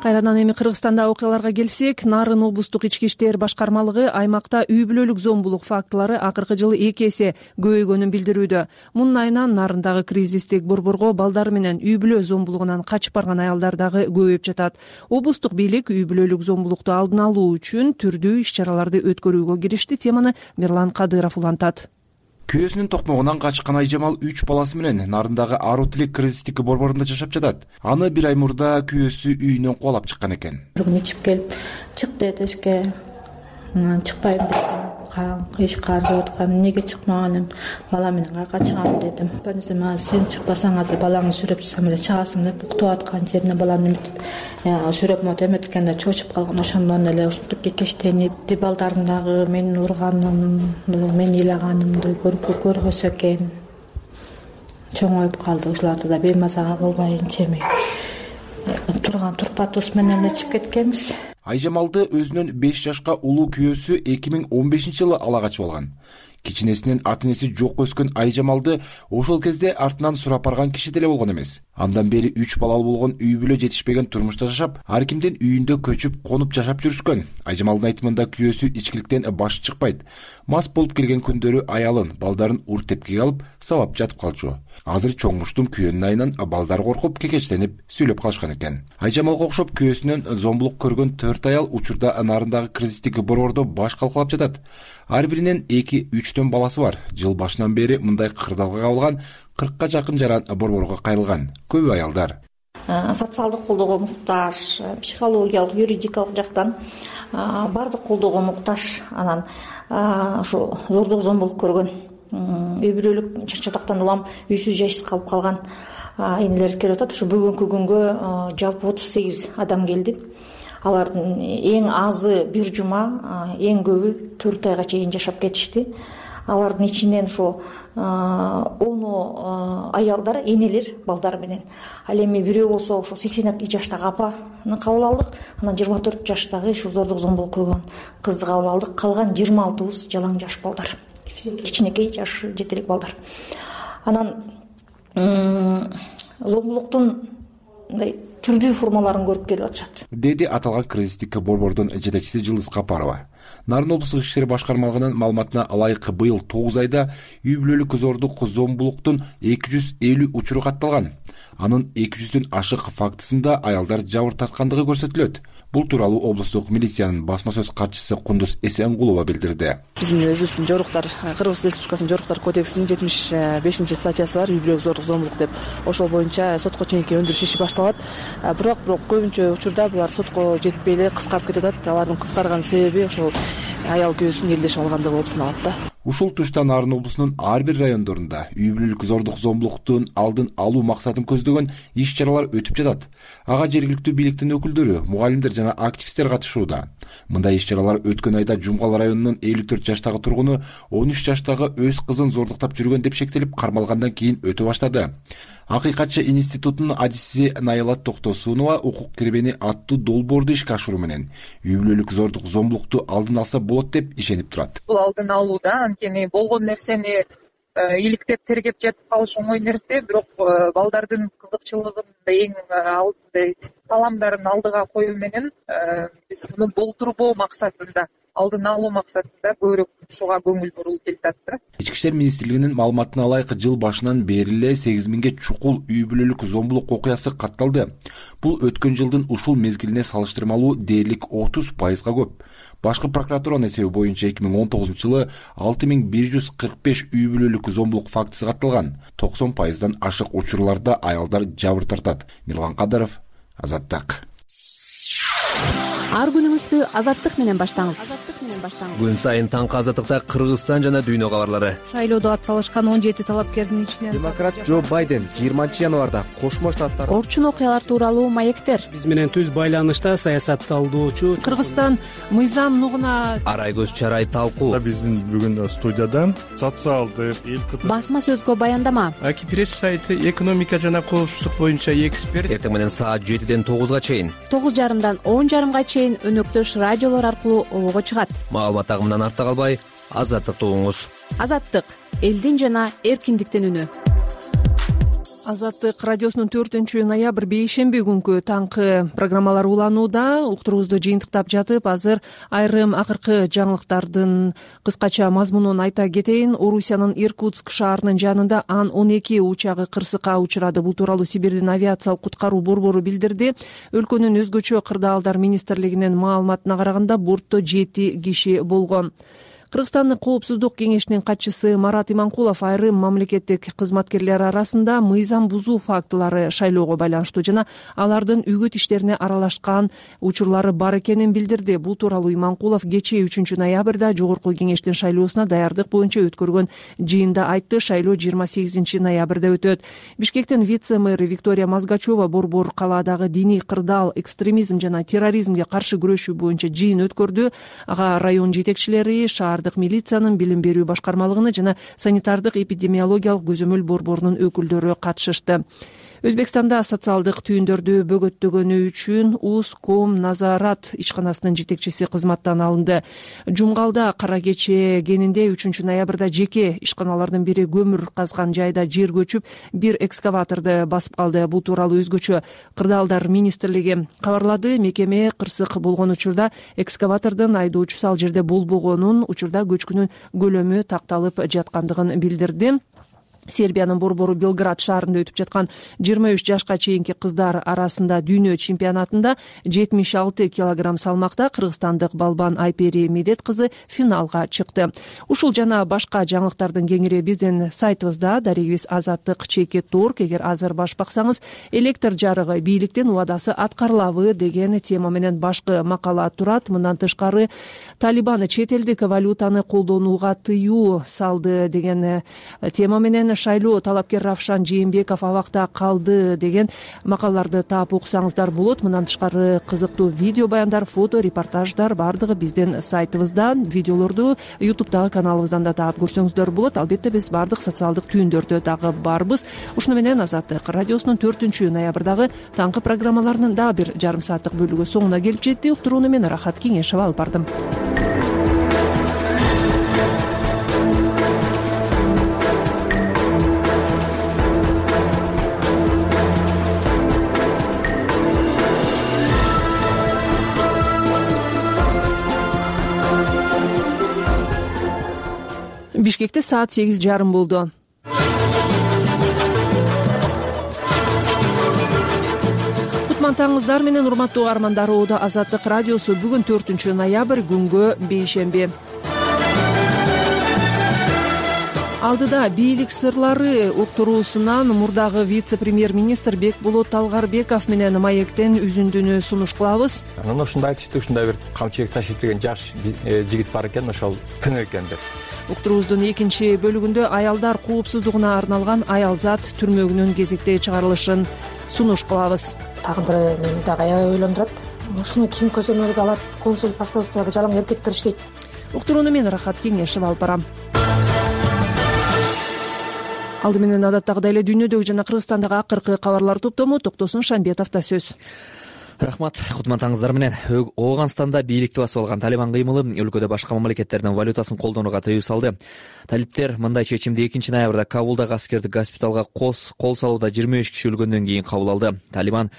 Кайрадан эми Кыргызстанда окуяларга келсек, Нарын облустук ички иштер башкармалыгы аймакта үй бүлөлүк зомбулук фактылары акыркы жылы эки эсе көбөйгөнүн билдирүүдө. Мунун айынан Нарындагы кризистик борборго балдары менен үй бүлө зомбулугунан качып барган аялдар дагы көбөйүп жатат. Облустук бийлик үй бүлөлүк зомбулукту алдын алуу үчүн түрдүү иш-чараларды өткөрүүгө киришти. Теманы Мирлан Кадыров улантат. Күйөөсүнүн токмогунан качкан Айжамал үч баласы менен Нарындагы Ару Тилек кризистик борборунда жашап жатат. Аны бир ай мурда күйөөсү үйүнөн кубалап чыккан экен. Бир күн ичип келип, чык деди эшикке. Чыкпайм дедим. Эшик каржып аткан, эмнеге чыкмаганым? Бала менен кайка чыгам дедим. Бөтөнсө сен чыкпасаң азыр балаңды сүрөп чыксам эле чыгасың деп уктуп аткан жерине баланы сүрөп мот эметкенде чочуп калган. Ошондон эле ушинтип кекештенип, балдарым дагы менин урганым, мени ыйлаганымды көрүп көрбөсө экен. Чоңоюп калды. Ушуларды да беймазага кылбайын чеми. Турган турпатыбыз менен эле чыгып кеткенбиз. Айжамалды өзүнүн беш жашка улуу күйөөсү эки миң он бешинчи жылы ала качып алган. Кичинесинен ата энеси жок өскөн Айжамалды ошол кезде артынан сурап барган киши деле болгон эмес. Андан бери үч балалуу болгон үй бүлө жетишпеген турмушта жашап, ар кимдин үйүндө көчүп, конуп жашап жүрүшкөн. Айжамалдын айтымында күйөөсү ичкиликтен башы чыкпайт. Мас болуп келген күндөрү аялын, балдарын ур тепкиге алып, сабап жатып калчу. Азыр чоңмуштум күйөөнүн айынан балдар коркуп, кекечтенип сүйлөп калышкан экен. Айжамалга окшоп күйөөсүнөн зомбулук көргөн төрт аял учурда Нарындагы кризистик борбордо баш калкалап жатат. Ар биринин эки үчтөн баласы бар. Жыл башынан бери мындай кырдаалга кабылган кыркка жакын жаран борборго кайрылган. Көбү аялдар социалдык колдоого муктаж, психологиялык, юридикалык жактан баардык колдоого муктаж. Анан ошо зордук зомбулук көргөн, үй бүлөлүк чыр-чатактан улам үйсүз жайсыз калып калган энелерибиз келип атат. Ушу бүгүнкү күнгө жалпы отуз сегиз адам келди. Алардын эң азы бир жума, эң көбү төрт айга чейин жашап кетишти. Алардын ичинен ошо ону аялдар, энелер балдар менен. Ал эми бирөө болсо ошо сексен эки жаштагы апаны кабыл алдык. Анан жыйырма төрт жаштагы ушу зордук зомбулук көргөн кызды кабыл алдык. Калган жыйырма алтыбыз жалаң жаш балдар. Кичинекей жаш жетелик балдар. Анан зомбулуктун мындай түрдүү формаларын көрүп келип атышат, деди аталган кризистик борбордун жетекчиси Жылдыз Капарова. Нарын облустук ички иштер башкармалыгынын маалыматына ылайык быйыл тогуз айда үй бүлөлүк зордук зомбулуктун эки жүз элүү учуру катталган. Анын эки жүздөн ашык фактысында аялдар жабыр тарткандыгы көрсөтүлөт. Бул тууралуу облустук милициянын басма сөз катчысы Кундуз Эсенгулова билдирди. Биздин өзүбүздүн жоруктар, Кыргыз Республикасынын жоруктар кодексинин жетимиш бешинчи статьясы бар, үй бүлөлүк зордук зомбулук деп. Ошол боюнча сотко чейинки өндүрүш иши башталат. Бирок бирок көбүнчө учурда булар сотко жетпей эле кыскарып кетип атат. Алардын кыскарган себеби ошол аял күйөөсүн элдешип алгандыгы болуп саналат да. Ушул тушта Нарын облусунун ар бир райондорунда үй бүлөлүк зордук зомбулуктун алдын алуу максатын көздөгөн иш-чаралар өтүп жатат. Ага жергиликтүү бийликтин өкүлдөрү, мугалимдер жана активисттер катышууда. Мындай иш-чаралар өткөн айда Жумгал районунун элүү төрт жаштагы тургуну он үч жаштагы өз кызын зордуктап жүргөн деп шектелип кармалгандан кийин өтө баштады. Акыйкатчы институтунун адиси Наялат Токтосунова укук кирбени аттуу долбоорду ишке ашыруу менен үй бүлөлүк зордук зомбулукту алдын алса болот деп ишенип турат. Бул алдын алууда анткени болгон нерсени иликтеп тергеп жатып калыш оңой нерсе, бирок балдардын кызыкчылыгын эң алдында таламдарын алдыга коюу менен биз муну болтурбоо максатында, алдын алуу максатында көбүрөөк ушуга көңүл бурулуп келатат да. Ички иштер министрлигинин маалыматына ылайык жыл башынан бери эле сегиз миңге чукул үй бүлөлүк зомбулук окуясы катталды. Бул өткөн жылдын ушул мезгилине салыштырмалуу дээрлик отуз пайызга көп. Башкы прокуратуранын эсеби боюнча эки миң он тогузунчу жылы алты миң бир жүз кырк беш үй бүлөлүк зомбулук фактысы катталган. токсон пайыздан ашык учурларда аялдар жабыр тартат. Мирлан Кадыров, Азаттык. Ар күнүңүздү Азаттык менен баштаңыз. Күн сайын таңкы Азаттыкта Кыргызстан жана дүйнө кабарлары. Шайлоодо ат салышкан он жети талапкердин ичинен демократ Джо Байден жыйырманчы январда Кошмо Штаттар орчун окуялар тууралуу маектер. Биз менен түз байланышта саясатталдоочу Кыргызстан мыйзам нугуна арай көз чарай талкуу. Биздин бүгүн студиядан социалдык эл басма сөзгө баяндама. Аки пресс сайты экономика жана коопсуздук боюнча эксперт. Эртең менен саат жетиден тогузга чейин, тогуз жарымдан он жарымга чейин өнөктөш радиолор аркылуу обого чыгат. Маалымат агымынан артта калбай, Азаттыкты угуңуз. Азаттык — элдин жана эркиндиктин үнү. Азаттык радиосунун төртүнчү ноябрь бейшемби күнкү таңкы программалар уланууда. Уктуруубузду жыйынтыктап жатып, азыр айрым акыркы жаңылыктардын кыскача мазмунун айта кетейин. Орусиянын Иркутск шаарынын жанында Ан он эки учагы кырсыкка учурады. Бул тууралуу Сибирдин авиациялык куткаруу борбору билдирди. Өлкөнүн өзгөчө кырдаалдар министрлигинин маалыматына караганда бортто жети киши болгон. Кыргызстандын коопсуздук кеңешинин катчысы Марат Иманкулов айрым мамлекеттик кызматкерлер арасында мыйзам бузуу фактылары шайлоого байланыштуу жана алардын үгүт иштерине аралашкан учурлары бар экенин билдирди. Бул тууралуу Иманкулов кечээ үчүнчү ноябрда жогорку кеңештин шайлоосуна даярдык боюнча өткөргөн жыйында айтты. Шайлоо жыйырма сегизинчи ноябрда өтөт. Бишкектин вице-мэры Виктория Мазгачева борбор калаадагы диний кырдаал, экстремизм жана терроризмге каршы күрөшүү боюнча жыйын өткөрдү. Ага район жетекчилери, шаар милициянын билим берүү башкармалыгыны жана санитардык эпидемиологиялык көзөмөл борборунун өкүлдөрү катышышты. Өзбекстанда социалдык түйүндөрдү бөгөттөгөнү үчүн Уском Назарат ишканасынын жетекчиси кызматтан алынды. Жумгалда кара кече кенинде үчүнчү ноябрда жеке ишканалардын бири көмүр казган жайда жер көчүп, бир экскаваторду басып калды. Бул тууралуу өзгөчө кырдаалдар министрлиги кабарлады. Мекеме кырсык болгон учурда экскаватордун айдоочусу ал жерде болбогонун, учурда көчкүнүн көлөмү такталып жаткандыгын билдирди. Сербиянын борбору Белград шаарында өтүп жаткан жыйырма үч жашка чейинки кыздар арасында дүйнө чемпионатында жетимиш алты килограмм салмакта кыргызстандык балбан Айпери Медет кызы финалга чыкты. Ушул жана башка жаңылыктардын кеңири биздин сайтыбызда. Дарегибиз Азаттык чекит орг. Эгер азыр баш баксаңыз, электр жарыгы бийликтин убадасы аткарылабы деген тема менен башкы макала турат. Мындан тышкары Талибан чет элдик валютаны колдонууга тыюу салды деген тема менен менен шайлоо талапкер Равшан Жээнбеков абакта калды деген макалаларды таап окусаңыздар болот. Мындан тышкары кызыктуу видео баяндар, фото репортаждар баардыгы биздин сайтыбызда, видеолорду ютубтагы каналыбыздан да таап көрсөңүздөр болот. Албетте биз баардык социалдык түйүндөрдө дагы барбыз. Ушуну менен Азаттык радиосунун төртүнчү ноябрдагы таңкы программаларынын дагы бир жарым сааттык бөлүгү соңуна келип жетти. Уктурууну мен Рахат Кеңешева алып бардым. Бишкекте саат сегиз жарым болду. Кутман таңыңыздар менен, урматтуу угармандар. Оодо Азаттык радиосу бүгүн төртүнчү ноябрь, күнгө бейшемби. Алдыда бийлик сырлары уктуруусунан мурдагы вице-премьер-министр Бекболот Талгарбеков менен маектен үзүндүнү сунуш кылабыз. Анан ошондо айтышты, ушундай бир камчыбек ташып деген жаш жигит бар экен, ошол тың экен деп. Уктуруубуздун экинчи бөлүгүндө аялдар коопсуздугуна арналган аялзат түрмөгүнүн кезектеги чыгарылышын сунуш кылабыз. Тагындыр мени дагы аябай ойлондурат. Ушуну ким көзөмөлгө алат? Консул постообузда жалаң эркектер иштейт. Уктурууну мен Рахат Кеңешева алып барам. Алды менен адаттагыдай эле дүйнөдөгү жана Кыргызстандагы акыркы кабарлар топтому Токтосун Шамбетовдо сөз. Рахмат, кутман таңыңыздар менен. Ооганстанда бийликти басып алган Талибан кыймылы өлкөдө башка мамлекеттердин валютасын колдонууга тыюу салды. Талиптер мындай чечимди экинчи ноябрда Кабулдагы аскердик госпиталга кол салууда жыйырма беш киши өлгөндөн кийин кабыл алды. Талибан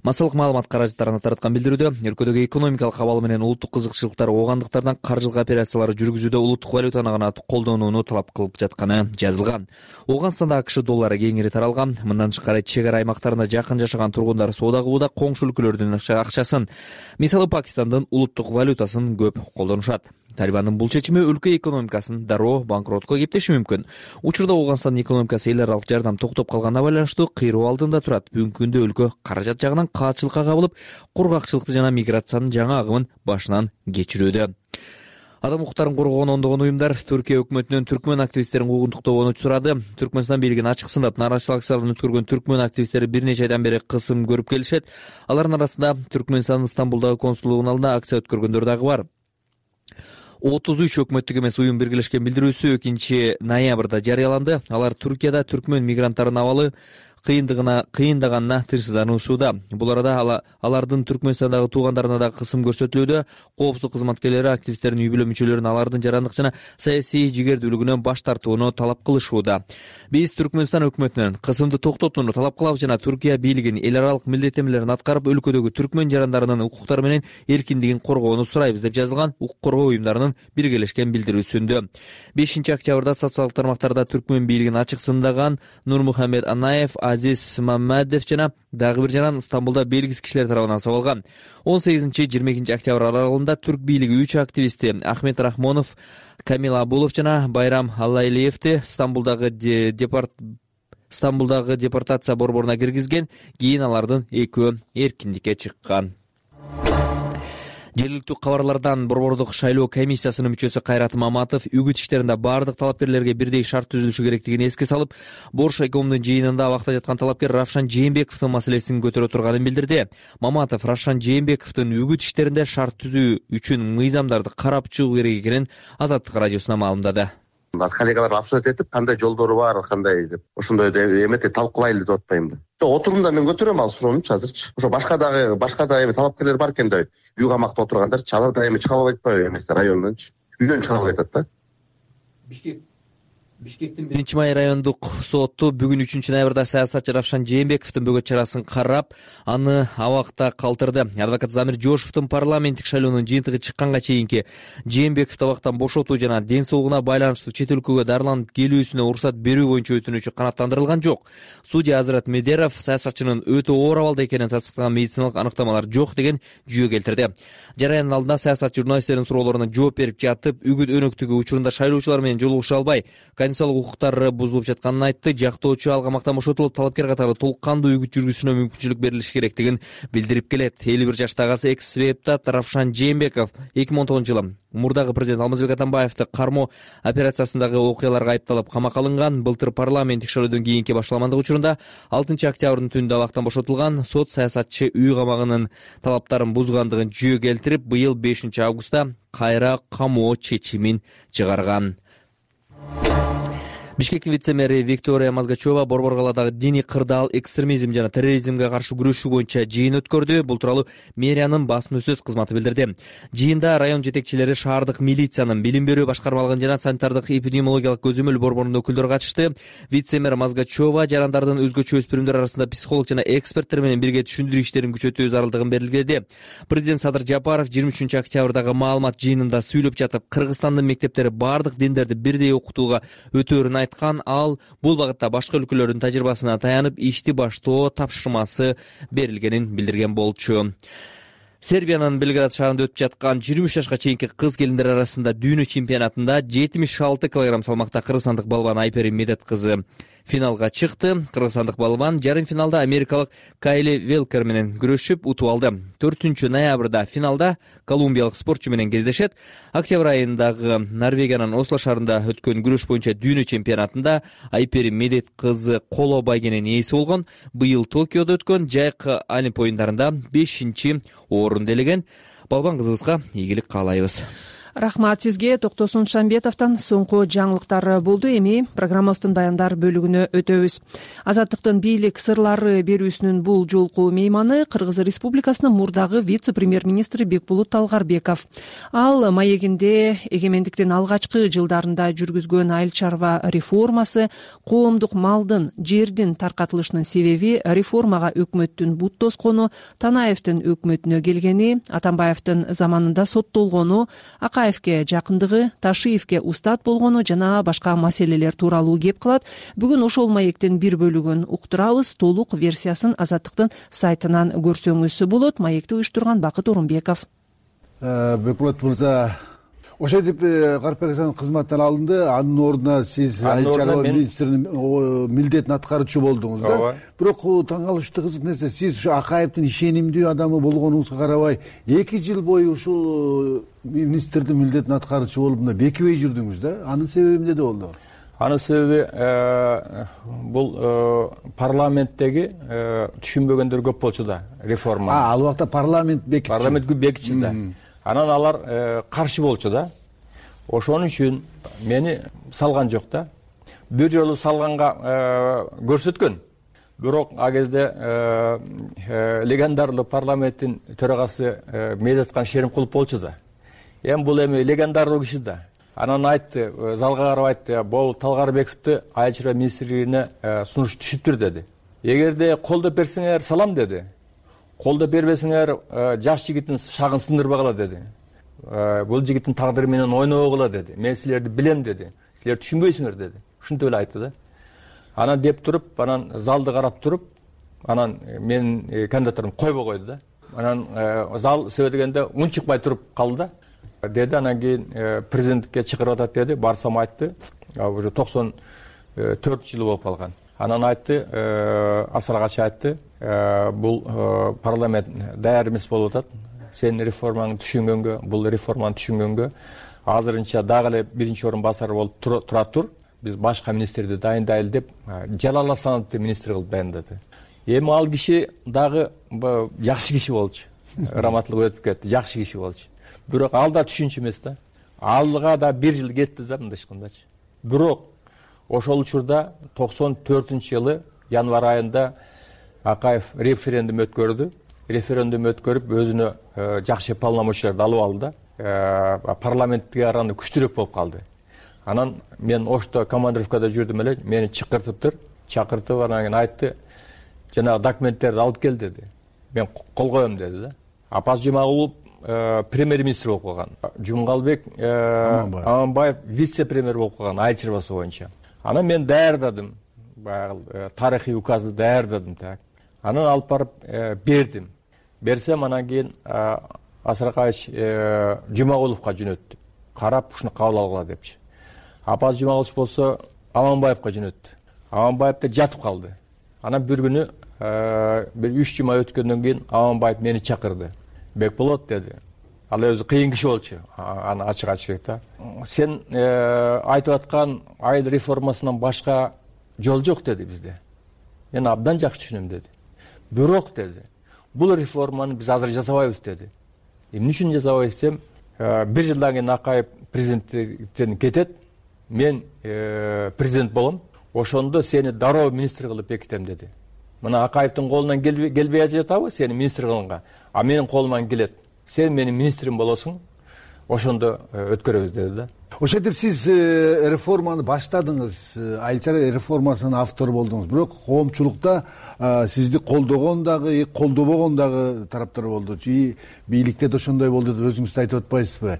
массалык маалымат каражаттарына тараткан билдирүүдө өлкөдөгү экономикалык абал менен улуттук кызыкчылыктар оогандыктардан каржылык операцияларды жүргүзүүдө улуттук валютаны гана колдонууну талап кылып жатканы жазылган. Ооганстанда АКШ доллары кеңири таралган. Мындан тышкары чек ара аймактарында жакын жашаган тургундар соода кылууда коңшу өлкөлөрдүн акчасын, мисалы Пакистандын улуттук валютасын көп колдонушат. Талибандын бул чечими өлкө экономикасын дароо банкротко кептеши мүмкүн. Учурда Ооганстандын экономикасы эл аралык жардам токтоп калганына байланыштуу кыйроо алдында турат. Бүгүнкү күндө өлкө каражат жагынан каатчылыкка кабылып, кургакчылыкты жана миграциянын жаңы агымын башынан кечирүүдө. Адам укуктарын коргоон ондогон уюмдар Түркия өкмөтүнөн түркмөн активисттерин куугунтуктообуну сурады. Түркмөнстан бийлигин ачык сындап нааразычылык акцияларын өткөргөн түркмөн активисттери бир нече айдан бери кысым көрүп келишет. Алардын арасында Түркмөнстандын Стамбулдагы консулдугунун алдында акция өткөргөндөр дагы бар. отуз үч өкмөттүк эмес уюм биргелешкен билдирүүсү экинчи ноябрда жарыяланды. Алар Түркияда түркмөн мигранттарынын абалы кыйындыгына кыйындаганына тынчсыздануусуда. Бул арада алардын Түркмөнстандагы туугандарына да кысым көрсөтүлүүдө. Коопсуздук кызматкерлери активисттердин үй бүлө мүчөлөрүн алардын жарандык жана саясий жигердүүлүгүнөн баш тартууну талап кылышууда. Биз Түркмөнстан өкмөтүнөн кысымды токтотууну талап кылабыз жана Түркия бийлигин эл аралык милдеттенмелерин аткарып, өлкөдөгү түркмөн жарандарынын укуктары менен эркиндигин коргоону сурайбыз деп жазылган укук коргоо уюмдарынын биргелешкен билдирүүсүндө. бешинчи октябрда социалдык тармактарда түркмөн бийлигин ачык сындаган Нурмухамед Анаев, Азиз Маммадов жана дагы бир жаран Стамбулда белгисиз кишилер тарабынан сабалган. он сегизинчи жыйырма экинчи октябрь аралыгында түрк бийлиги үч активисти Ахмет Рахмонов, Камил Абулов жана Байрам Аллайлиевди Стамбулдагы депорт Стамбулдагы депортация борборуна киргизген. Кийин алардын экөө эркиндикке чыккан. Жергиликтүү кабарлардан Борбордук шайлоо комиссиясынын мүчөсү Кайрат Маматов үгүт иштеринде баардык талапкерлерге бирдей шарт түзүлүшү керектигин эске салып, Борш экомдун жыйынында абакта жаткан талапкер Равшан Жээнбековдун маселесин көтөрө турганын билдирди. Маматов Равшан Жээнбековдун үгүт иштеринде шарт түзүү үчүн мыйзамдарды карап чыгуу керек экенин Азаттык радиосуна маалымдады. Коллегалар обсуждать этип, кандай жолдору бар, кандай деп, ошондой эмети талкуулайлы деп атпаймынбы. Жок, отурумда мен көтөрөм ал суроонучу азырчы. Ошо башка дагы башка да эми талапкерлер бар экен да, үй камакта отургандарчы, алар да эми чыга албайт атпайбы эмес райондончу. Үйдөн чыга албай атат да. Бишкек Бишкектин биринчи май райондук соту бүгүн үчүнчү ноябрда саясатчы Равшан Жээнбековдун бөгөт чарасын карап, аны абакта калтырды. Адвокат Замир Жошовдун парламенттик шайлоонун жыйынтыгы чыкканга чейинки Жээнбековду абактан бошотуу жана ден соолугуна байланыштуу чет өлкөгө дарыланып келүүсүнө уруксат берүү боюнча өтүнүчү канааттандырылган жок. Судья Азрат Медеров саясатчынын өтө оор абалда экенин тастыктаган медициналык аныктамалар жок деген жүйө келтирди. Жараяндын алдында саясатчы журналисттердин суроолоруна жооп берип жатып, үгүт өнөктүгү учурунда шайлоочулар менен жолугуша албай, конституциялык укуктары бузулуп жатканын айтты. Жактоочу алга мактан бошотулуп, талапкер катары толук кандуу үгүт жүргүзүүнө мүмкүнчүлүк берилиши керектигин билдирип келет. элүү бир жаштагы экс-депутат Равшан Жээнбеков эки миң он тогузунчу жылы мурдагы президент Алмазбек Атамбаевди кармоо операциясындагы окуяларга айыпталып камакка алынган. Былтыр парламент текшерүүдөн кийинки башталгандыгы учурунда алтынчы октябрдын түнүндө абактан бошотулган. Сот саясатчы үй камагынын талаптарын бузгандыгын жөө келтирип, быйыл бешинчи августта кайра камоо чечимин чыгарган. Бишкектин вице-мэри Виктория Мазгачева Борбор калаадагы диний кырдаал, экстремизм жана терроризмге каршы күрөшүү боюнча жыйын өткөрдү. Бул тууралуу мэриянын басма сөз кызматы билдирди. Жыйында район жетекчилери, шаардык милициянын, билим берүү башкармалыгын жана санитардык эпидемиологиялык көзөмөл борборунун өкүлдөрү катышты. Вице-мэр Мазгачева жарандардын өзгөчө өспүрүмдөр арасында психолог жана эксперттер менен бирге түшүндүрүү иштерин күчөтүү зарылдыгын белгиледи. Президент Садыр Жапаров жыйырма үчүнчү октябрдагы маалымат жыйынында сүйлөп жатып, Кыргызстандын мектептери бардык диндерди бирдей окутууга өтөөрүн айткан. Ал бул багытта башка өлкөлөрдүн тажрыйбасына таянып, ишти баштоо тапшырмасы берилгенин билдирген болчу. Сербиянын Белград шаарында өтүп жаткан жыйырма үч жашка чейинки кыз келиндер арасында дүйнө чемпионатында жетимиш алты килограмм салмакта кыргызстандык балбан Айпери Медет кызы финалга чыкты. Кыргызстандык балбан жарым финалда америкалык Кайли Велкер менен күрөшүп утуп алды. төртүнчү ноябрда финалда колумбиялык спортчу менен кездешет. Октябрь айындагы Норвегиянын Осло шаарында өткөн күрөш боюнча дүйнө чемпионатында Айпери Медет кызы коло байгенин ээси болгон. Быйыл Токиодо өткөн жайкы Олимп оюндарында бешинчи орун делеген. Балбан кызыбызга ийгилик каалайбыз. Рахмат сизге. Токтосун Шамбетовдон соңку жаңылыктар болду. Эми программабыздын баяндар бөлүгүнө өтөбүз. Азаттыктын бийлик сырлары берүүсүнүн бул жолку мейманы Кыргыз Республикасынын мурдагы вице-премьер-министри Бекбулут Талгарбеков. Ал маегинде эгемендиктин алгачкы жылдарында жүргүзгөн айыл чарба реформасы, коомдук малдын, жердин таркатылышынын себеби, реформага өкмөттүн бут тоскону, Танаевдин өкмөтүнө келгени, Атамбаевдин заманында соттолгону, Акаевке жакындыгы, Ташиевке устат болгону жана башка маселелер тууралуу кеп кылат. Бүгүн ошол маектин бир бөлүгүн уктурабыз. Толук версиясын Азаттыктын сайтынан көрсөңүз болот. Маекти уюштурган Бакыт Орунбеков. Бекбулат мырза, ошентип Карпек Асанов кызматтан алынды, анын ордуна сиз айыл чарба министринин милдетин аткаруучу болдуңуз да. Бирок таң калыштуу кызык нерсе, сиз ушу Акаевдин ишенимдүү адамы болгонуңузга карабай, эки жыл бою ушул министрдин милдетин аткаруучу болуп мына бекибей жүрдүңүз да. Анын себеби эмнеде болду? Анын себеби бул парламенттеги түшүнбөгөндөр көп болчу да, реформа. А, ал убакта парламент бекичи. Парламент бекичи да. Анан алар каршы болчу да. Ошон үчүн мени салган жок да. Бир жолу салганга көрсөткөн. Бирок а кезде легендарлуу парламенттин төрагасы Медеткан Шеримкулов болчу да. Эми бул эми легендарлуу киши да. Анан айтты, залга карап айтты, бул Талгарбековду айыл чарба министрлигине сунуш түшүптүр деди. Эгерде колдоп берсеңер салам деди. Колдоп бербесеңер жаш жигиттин шагын сындырбагыла деди. Бул жигиттин тагдыры менен ойнобогула деди. Мен силерди билем деди. Силер түшүнбөйсүңөр деди. Ушинтип эле айтты да. Анан деп туруп, анан залды карап туруп, анан менин кандидатурумду койбой койду да. Анан зал сөйдөгөндө унчукпай туруп калды да. Деди, анан кийин президенттикке чакырып атат деди. Барсам айтты, уже токсон төрт жылы болуп калган. Анан айтты, Асаргач айтты, бул парламент даяр эмес болуп атат. Сен реформаны түшүнгөнгө, бул реформаны түшүнгөнгө азырынча дагы эле биринчи орун басары болуп тура тур. Биз башка министрди дайындайлы деп Жалал Асановду министр кылып дайындады. Эми ал киши дагы жакшы киши болчу. Раматтылык өтүп кетти, жакшы киши болчу. Бирок ал да түшүнчү эмес да. Алга да бир жыл кетти да мындай айткандачы. Бирок ошол учурда токсон төртүнчү жылы январь айында Акаев референдум өткөрдү. Референдум өткөрүп өзүнө жакшы полномочияларды алып алды да. Парламентке караганда күчтүүрөөк болуп калды. Анан мен Ошто командировкада жүрдүм эле, мени чакыртыптыр. Чакыртып анан кийин айтты, жанагы документтерди алып кел деди. Мен кол коем деди да. Апаз Жумагулов премьер-министр болуп калган. Жумгалбек Аманбаев вице-премьер болуп калган айыл чарбасы боюнча. Анан мен даярдадым. Баягы тарыхый указды даярдадым так. Анан алып барып бердим. Берсем анан кийин Асаркаевич Жумагуловго жөнөттү. Карап ушуну кабыл алгыла депчи. Апаз Жумагулов болсо Аманбаевка жөнөттү. Аманбаев да жатып калды. Анан бир күнү бир үч жума өткөндөн кийин Аманбаев мени чакырды. Бекболот деди. Ал өзү кыйын киши болчу. Аны ачык айтышат да. Сен айтып аткан айыл реформасынан башка жол жок деди бизде. Мен абдан жакшы түшүнөм деди. Бирок деди, бул реформаны биз азыр жасабайбыз деди. Эмне үчүн жасабайбыз десем, бир жылдан кийин Акаев президенттен кетет, мен президент болом, ошондо сени дароо министр кылып бекитем деди. Мына Акаевдин колунан келбей жатабы сени министр кылганга, а менин колуман келет. Сен менин министрим болосуң, ошондо өткөрөбүз деди да. Ошентип сиз реформаны баштадыңыз, айыл чарба реформасынын автору болдуңуз. Бирок коомчулукта сизди колдогон дагы, колдобогон дагы тараптар болду. И бийликте да ошондой болду деп өзүңүз да айтып атпайсызбы?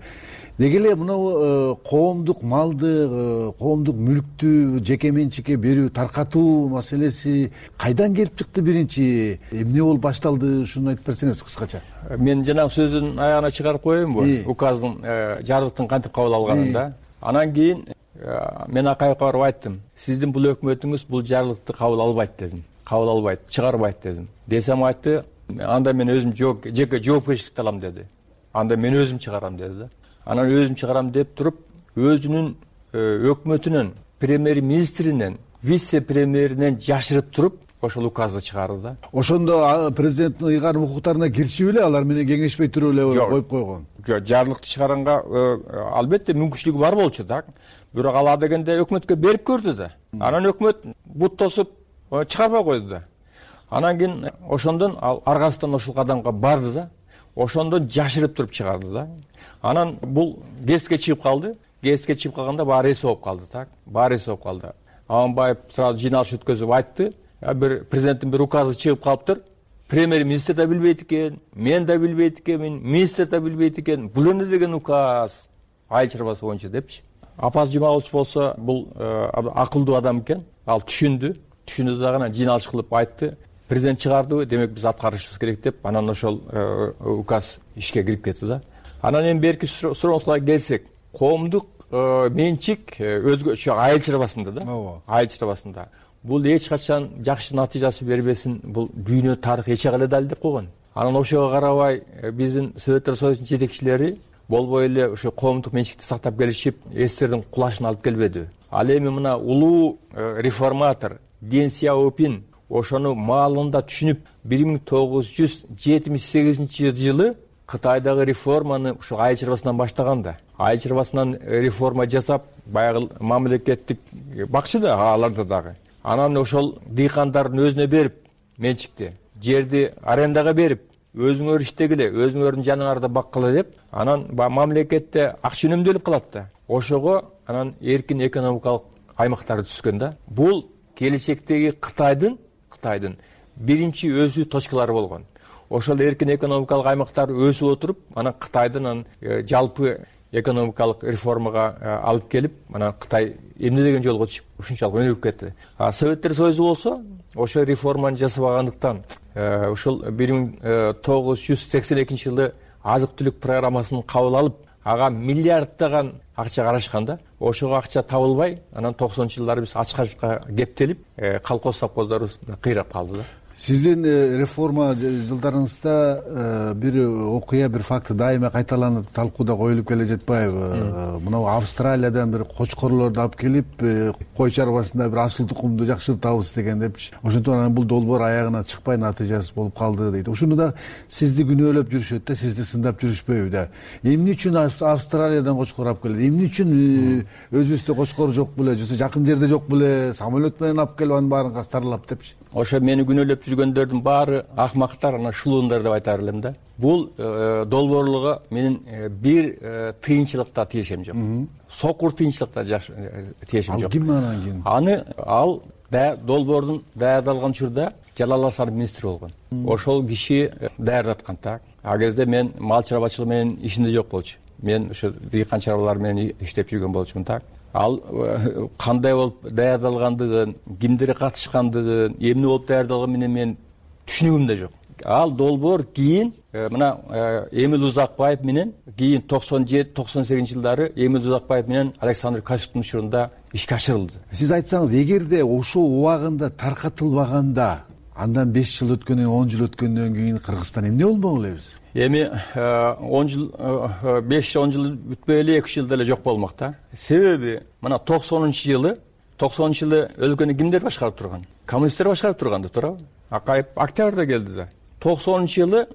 Неге эле мына коомдук малды, коомдук мүлктү жеке менчикке берүү, таркатуу маселеси кайдан келип чыкты биринчи? Эмне болуп башталды? Ушуну айтып берсеңиз кыскача. Мен жанагы сөздүн аягына чыгарып коеюнбу? Указдын жарлыктын кантип кабыл алганын да. Анан кийин мен Акаевка барып айттым. Сиздин бул өкмөтүңүз бул жарлыкты кабыл албайт дедим. Кабыл албайт, чыгарбайт дедим. Десем айтты, анда мен өзүм жеке жоопкерчиликти алам деди. Анда мен өзүм чыгарам деди да. Анан өзүм чыгарам деп туруп, өзүнүн өкмөтүнөн, премьер-министринен, вице-премьеринен жашырып туруп, ошол указды чыгарды да. Ошондо президенттин ыйгарым укуктарына киришип эле, алар менен кеңешпей туруп эле коюп койгон. Жок, жарлыкты чыгаранга албетте мүмкүнчүлүгү бар болчу да. Бирок ала дегенде өкмөткө берип көрдү да. Анан өкмөт бут тосуп чыгарбай койду да. Анан кийин ошондон ал аргасынан ошол кадамга барды да. Ошондон жашырып туруп чыгарды да. Анан бул гезитке чыгып калды. Гезитке чыгып калганда баары эс болуп калды, так? Баары эс болуп калды. Аманбаев сразу жыйналыш өткөзүп айтты. Бир президенттин бир указы чыгып калыптыр. Премьер-министр да билбейт экен, мен да билбейт экенмин, министр да билбейт экен. Бул эмне деген указ? Айыл чарбасы боюнча депчи. Апаз Жумабулович болсо бул акылдуу адам экен. Ал түшүндү. Түшүндү дагы жыйналыш кылып айтты. Президент чыгарды, демек биз аткарышыбыз керек деп, анан ошол указ ишке кирип кетти да. Анан эми берки сурооңузга келсек, коомдук менчик өзгөчө айыл чарбасында да. Айыл чарбасында. Бул эч качан жакшы натыйжасы бербесин, бул дүйнө тарых эч эле далилдеп койгон. Анан ошого карабай биздин Советтер Союзунун жетекчилери болбой эле ошо коомдук менчикти сактап келишип, эстердин кулашына алып келбеди. Ал эми мына улуу реформатор Дэн Сяопин ошону маалында түшүнүп, бир миң тогуз жүз жетимиш сегизинчи жылы Кытайдагы реформаны ушул айыл чарбасынан баштаган да. Айыл чарбасынан реформа жасап, баягы мамлекеттик бакчы да аларда дагы. Анан ошол дыйкандардын өзүнө берип, менчикти, жерди арендага берип, өзүңөр иштегиле, өзүңөрдүн жаныңарда баккыла деп, анан мамлекетте акча үнөмдөлүп калат да. Ошого анан эркин экономикалык аймактары түзгөн да. Бул келечектеги Кытайдын Кытайдын биринчи өсүү точкалары болгон. Ошол эркин экономикалык аймактар өсүп отуруп, анан Кытайдын жалпы экономикалык реформага алып келип, анан Кытай эмне деген жолго чыгып, ушунчалык өнүгүп кетти. А Советтер Союзу болсо, ошо реформаны жасабагандыктан, ошол бир миң тогуз жүз сексен экинчи жылы азык-түлүк программасын кабыл алып, ага миллиарддаган акча карашкан да. Ошого акча табылбай, анан токсонунчу жылдары биз ачкачка кептелип, колхоз совхоздорубуз кыйрап калды да. Сиздин реформа жылдарыңызда бир окуя, бир факт дайыма кайталанып талкууда коюлуп келе жатпайбы? Мына Австралиядан бир кочкорлорду алып келип, кой чарбасында бир асыл тукумду жакшыртабыз деген депчи. Ошондон анан бул долбоор аягына чыкпай натыйжасыз болуп калды дейт. Ушуну да сизди күнөөлөп жүрүшөт да, сизди сындап жүрүшпөйбү да. Эмне үчүн Австралиядан кочкор алып келет? Эмне үчүн өзүбүздө кочкор жок беле, же жакын жерде жок беле, самолет менен алып келип анын баарын кастарлап депчи. Ошо мени күнөөлөп жүргөндөрдүн баары акмактар, анан шулуундар деп айтар элем да. Бул долбоорлуга менин бир тыйынчылыкта тиешем жок. Сокур тыйынчылыкта тиешем жок. Ал ким анан кийин? Аны ал долбоордун даярдалган учурда Жалал Асанов министр болгон. Ошол киши даярдаткан так. А кезде мен мал чарбачылыгы менен ишинде жок болчу. Мен ошо дыйкан чарбалар менен иштеп жүргөн болчумун так. Ал кандай болуп даярдалгандыгын, кимдер катышкандыгын, эмне болуп даярдалганын менен мен түшүнүгүм да жок. ал долбоор кийин мына Эмил Узакбаев менен кийин токсон жети токсон сегизинчи жылдары Эмил Узакбаев менен Александр Качуктун учурунда ишке ашырылды. Сиз айтсаңыз, эгерде ошол убагында таркатылбаганда, андан беш жыл өткөндөн он жыл өткөндөн кийин Кыргызстан эмне болмок элебиз? Эми он жыл беш он жыл бүтпөй эле эки үч жылда эле жок болмок да. Себеби мына токсонунчу жылы токсонунчу жылы өлкөнү кимдер башкарып турган? Коммунисттер башкарып турганды, туурабы? Акаев октябрда келди да. токсонунчу жылы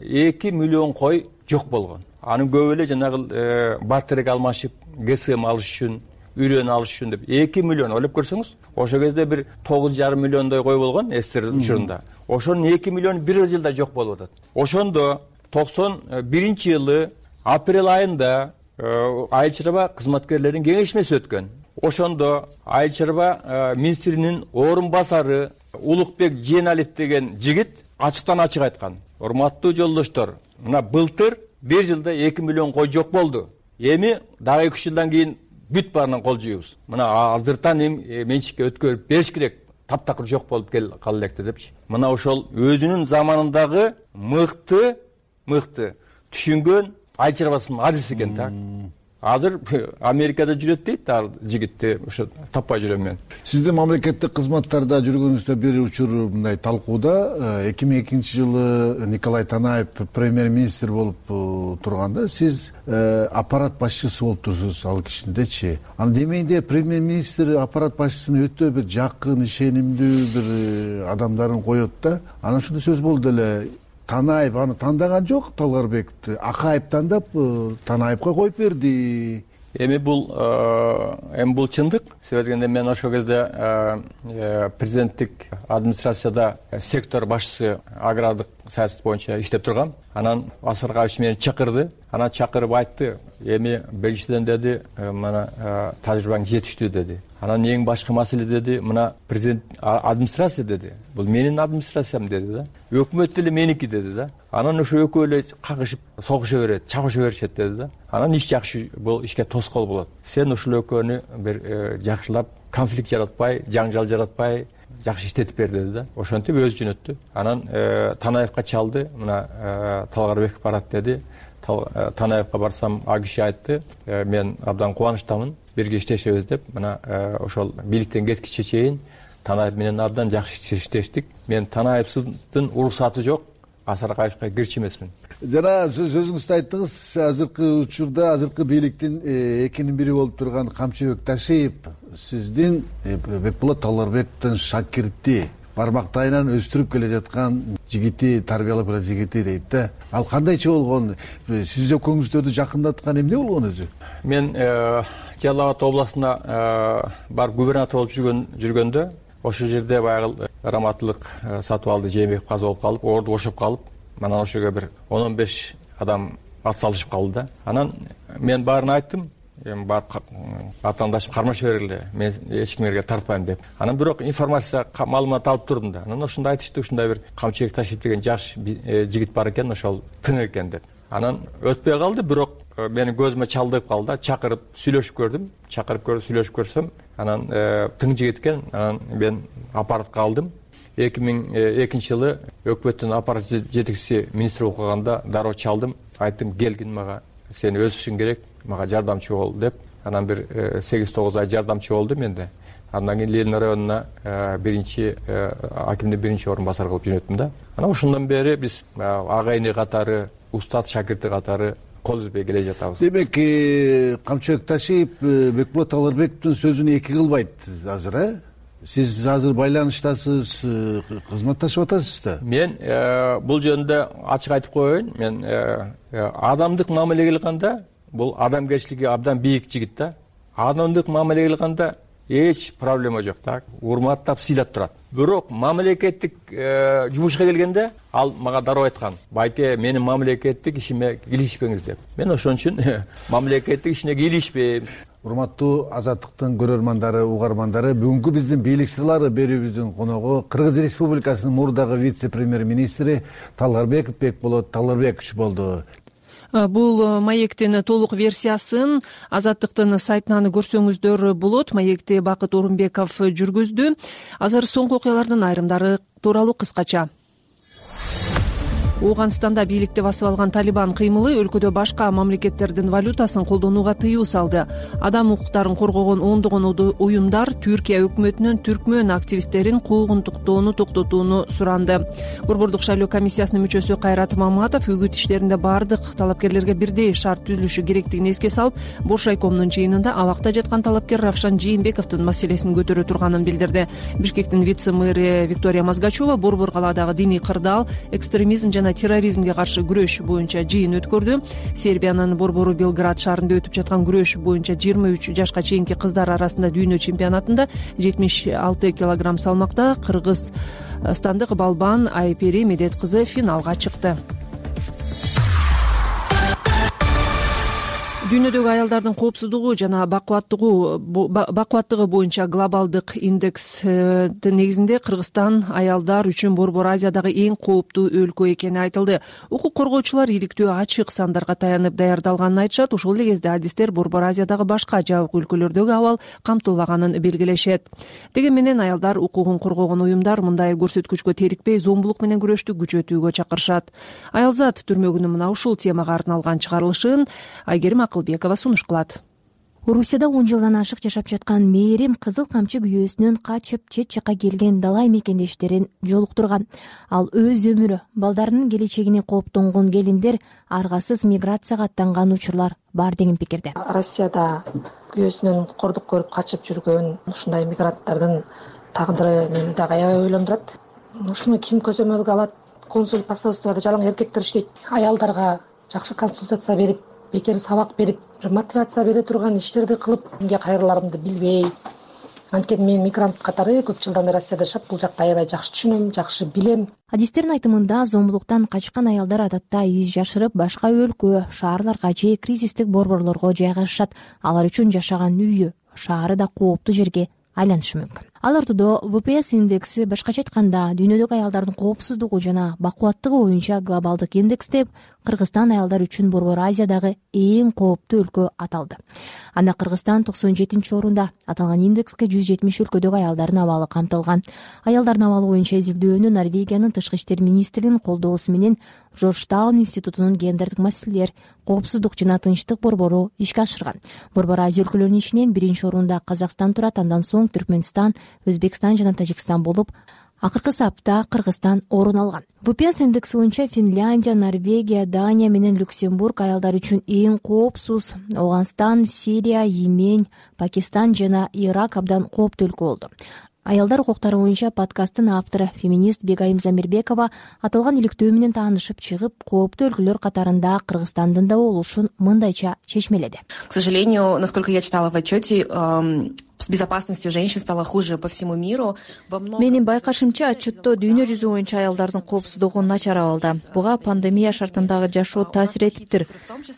эки миллион кой жок болгон. Анын көбү эле жанагы бартерге алмашып, ГСМ алыш үчүн, үрөн алыш үчүн деп эки миллион ойлоп көрсөңүз, ошол кезде бир тогуз жарым миллиондой кой болгон СССР учурунда. Ошонун эки миллиону бир жылда жок болуп атат. Ошондо токсон биринчи жылы апрель айында Айыл чарба кызматкерлеринин кеңешмеси өткөн. Ошондо Айыл чарба министринин орун басары Улукбек Жээналиев деген жигит ачыктан ачык айткан: урматтуу жолдоштор, мына былтыр бир жылда эки миллион кой жок болду. Эми дагы эки үч жылдан кийин бүт баарынан кол жуйбуз. Мына азыртан эми менчикке өткөрүп бериш керек. Таптакыр жок болуп кала электи депчи. Мына ошол өзүнүн заманындагы мыкты мыкты түшүнгөн айыл чарбасынын адиси экен да. Азыр Америкада жүрөт дейт ал жигитти, ошо таппай жүрөм мен. Сиздин мамлекеттик кызматтарда жүргөнүздө бир учур мындай талкууда эки миң экинчи жылы Николай Танаев премьер-министр болуп турганда сиз аппарат башчысы болуп турсуз ал кишиндечи. Аны демейинде премьер-министр аппарат башчысын өтө бир жакын, ишенимдүү бир адамдарын коет да. Анан ушундай сөз болду эле: Танаев аны тандаган жок, Талгарбековду Акаев тандап Танаевга коюп берди. Эми бул эми бул чындык. Себеби дегенде мен ошол кезде президенттик администрацияда сектор башчысы агрардык саясат боюнча иштеп тургам. Анан Асаргаевич мени чакырды. Анан чакырып айтты: эми биринчиден деди, мына тажрыйбаң жетиштүү деди. Анан эң башкы маселе деди, мына президент администрация деди. Бул менин администрациям деди да. Өкмөт деле меники деди да. Анан ошо экөө эле кагышып, согуша берет, чабыша беришет деди да. Анан иш жакшы, бул ишке тоскоол болот. Сен ушул экөөнү бир жакшылап, конфликт жаратпай, жаңжал жаратпай, жакшы иштетип бер деди да. Ошентип өзү жөнөттү. Анан Танаевга чалды, мына Талгарбеков барат деди. Танаевга барсам, а киши айтты: мен абдан кубанычтамын, бирге иштешебиз деп. Мына ошол бийликтен кеткиче чейин Танаев менен абдан жакшы иштештик. Мен Танаевдин уруксаты жок Асаргаевга кирчи эмесмин. Жана сөзүңүздө айттыңыз, азыркы учурда азыркы бийликтин экинин бири болуп турган Камчыбек Ташиев сиздин Бекболот Талгарбековдун шакирти, бармактайынан өстүрүп келе жаткан жигити, тарбиялап келе жигити дейт да. Ал кандайчы болгон? Сиз экөөңүздөрдү жакындаткан эмне болгон өзү? Мен Жалал Абад областына бар губернатор болуп жүргөн жүргөндө ошол жерде баягы раматтылык сатып алды, Жээнбеков каза болуп калып, орду бошоп калып, анан ошого бир он он беш адам ат салышып калды да. Анан мен баарын айттым, эми барып атаандашып кармаша бергиле, мен эч кимге тартпайм деп. Анан бирок информация, маалымат алып турдум да. Анан ошондо айтышты, ушундай бир Камчыбек Ташиев деген жаш жигит бар экен, ошол тың экен деп. Анан өтпөй калды, бирок мени көзүмө чалдыгып калды да. Чакырып сүйлөшүп көрдүм, чакырып көрүп сүйлөшүп көрсөм, анан тың жигит экен. Анан мен аппаратка алдым. эки миң экинчи жылы өкмөттүн аппарат жетекчиси министр болуп калганда дароо чалдым, айттым: келгин мага, сени өсүшүң керек, мага жардамчы бол деп. Анан бир сегиз тогуз ай жардамчы болду менде. Андан кийин Ленин районуна биринчи акимдин биринчи орун басары кылып жөнөттүм да. Анан ошондон бери биз агайыны катары, устат шакирти катары кол үзбөй келе жатабыз. Демек, Камчыбек Ташиев Бекболот Талгарбековдун сөзүн эки кылбайт азыр, э? Сиз азыр байланыштасыз, кызматташып атасыз да? Мен бул жөнүндө ачык айтып коеюн. Мен адамдык мамиле кылганда, бул адамгерчилиги абдан бийик жигит да. Адамдык мамиле кылганда эч проблема жок да. Урматтап, сыйлап турат. Бирок мамлекеттик жумушка келгенде ал мага дароо айткан: байке, менин мамлекеттик ишиме кийлишпеңиз деп. Мен ошон үчүн мамлекеттик ишине кийлишпейм. Урматтуу Азаттыктын көрөрмандары, угармандары, бүгүнкү биздин бийлик сырлары берүүбүздүн коногу Кыргыз Республикасынын мурдагы вице-премьер-министри Талгарбеков Бекболот Талгарбекович болду. Бул маектин толук версиясын Азаттыктын сайтынан көрсөңүздөр болот. Маекти Бакыт Орунбеков жүргүздү. Азыр соңку окуялардын айрымдары тууралуу кыскача. Ооганстанда бийликти басып алган Талибан кыймылы өлкөдө башка мамлекеттердин валютасын колдонууга тыюу салды. Адам укуктарын коргогон ондогон уюмдар Түркия өкмөтүнөн түркмөн активисттерин куугунтуктоону токтотууну суранды. Борбордук шайлоо комиссиясынын мүчөсү Кайрат Маматов үгүт иштеринде баардык талапкерлерге бирдей шарт түзүлүшү керектигин эске салып, Бош райкомдун жыйынында абакта жаткан талапкер Равшан Жээнбековдун маселесин көтөрө турганын билдирди. Бишкектин вице-мэри Виктория Мазгачева Борбор калаадагы диний кырдаал, экстремизм жана терроризмге каршы күрөш боюнча жыйын өткөрдү. Сербиянын Борбору Белград шаарында өтүп жаткан күрөш боюнча жыйырма үч жашка чейинки кыздар арасында дүйнө чемпионатында жетимиш алты килограмм салмакта кыргызстандык балбан Айпери Медет кызы финалга чыкты. Дүйнөдөгү аялдардын коопсуздугу жана бакубаттыгы бакубаттыгы боюнча глобалдык индекстин негизинде Кыргызстан аялдар үчүн Борбор Азиядагы эң кооптуу өлкө экени айтылды. Укук коргоочулар иликтөө ачык сандарга таянып даярдалганын айтышат. Ошол эле кезде адистер Борбор Азиядагы башка жабык өлкөлөрдөгү абал камтылбаганын белгилешет. Дегени менен аялдар укугун коргогон уюмдар мындай көрсөткүчкө терикпей зомбулук менен күрөштү күчөтүүгө чакырышат. Аялзат түрмөгүнүн мына ушул темага арналган чыгарылышын Айгерим Акылбекова сунуш кылат. Орусияда он жылдан ашык жашап жаткан Мээрим кызыл камчы күйөөсүнөн качып чет жакка келген далай мекендештерин жолуктурган. Ал өз өмүрү, балдарынын келечегине кооптонгон келиндер аргасыз миграцияга аттанган учурлар бар деген пикирде. Россияда күйөөсүнөн кордук көрүп качып жүргөн ушундай мигранттардын тагдыры мени дагы аябай ойлондурат. Ушуну ким көзөмөлгө алат? Консул посольствода жалаң эркектер иштейт. Аялдарга жакшы консультация берип, бекер сабак берип, мотивация бере турган иштерди кылып, кимге кайрыларымды билбей. Анткени мен мигрант катары көп жылдан бери Россияда жашап, бул жакты аябай жакшы түшүнөм, жакшы билем. Адистердин айтымында зомбулуктан качкан аялдар адатта из жашырып башка өлкө, шаарларга же кризистик борборлорго жайгашышат. Алар үчүн жашаган үйү, шаары да кооптуу жерге айланышы мүмкүн. Ал ортодо вэ пэ эс индекси башкача айтканда дүйнөдөгү аялдардын коопсуздугу жана бакубаттыгы боюнча глобалдык индексте Кыргызстан аялдар үчүн Борбор Азиядагы эң кооптуу өлкө аталды. Анда Кыргызстан токсон жетинчи орунда. Аталган индекске жүз жетимиш өлкөдөгү аялдардын абалы камтылган. Аялдардын абалы боюнча изилдөөнү Норвегиянын тышкы иштер министринин колдоосу менен Жоржтаун институтунун гендердик маселелер, коопсуздук жана тынчтык борбору ишке ашырган. Борбор Азия өлкөлөрүнүн ичинен биринчи орунда Казакстан турат, андан соң Түркмөнстан, Өзбекстан жана Тажикстан болуп, акыркы сапта Кыргызстан орун алган. вэ пэ эс индекси боюнча Финляндия, Норвегия, Дания менен Люксембург аялдар үчүн эң коопсуз. Ооганстан, Сирия, Йемен, Пакистан жана Ирак абдан кооптуу өлкө болду. Аялдар укуктары боюнча подкасттын автору феминист Бегайым Замирбекова аталган иликтөө менен таанышып чыгып, кооптуу өлкөлөр катарында Кыргызстандын да болушун мындайча чечмеледи. К сожалению, насколько я читала в отчете, с безопасностью женщин стало хуже по всему миру. Менин байкашымча, отчетто дүйнө жүзү боюнча аялдардын коопсуздугу начар абалда. Буга пандемия шартындагы жашоо таасир этиптир.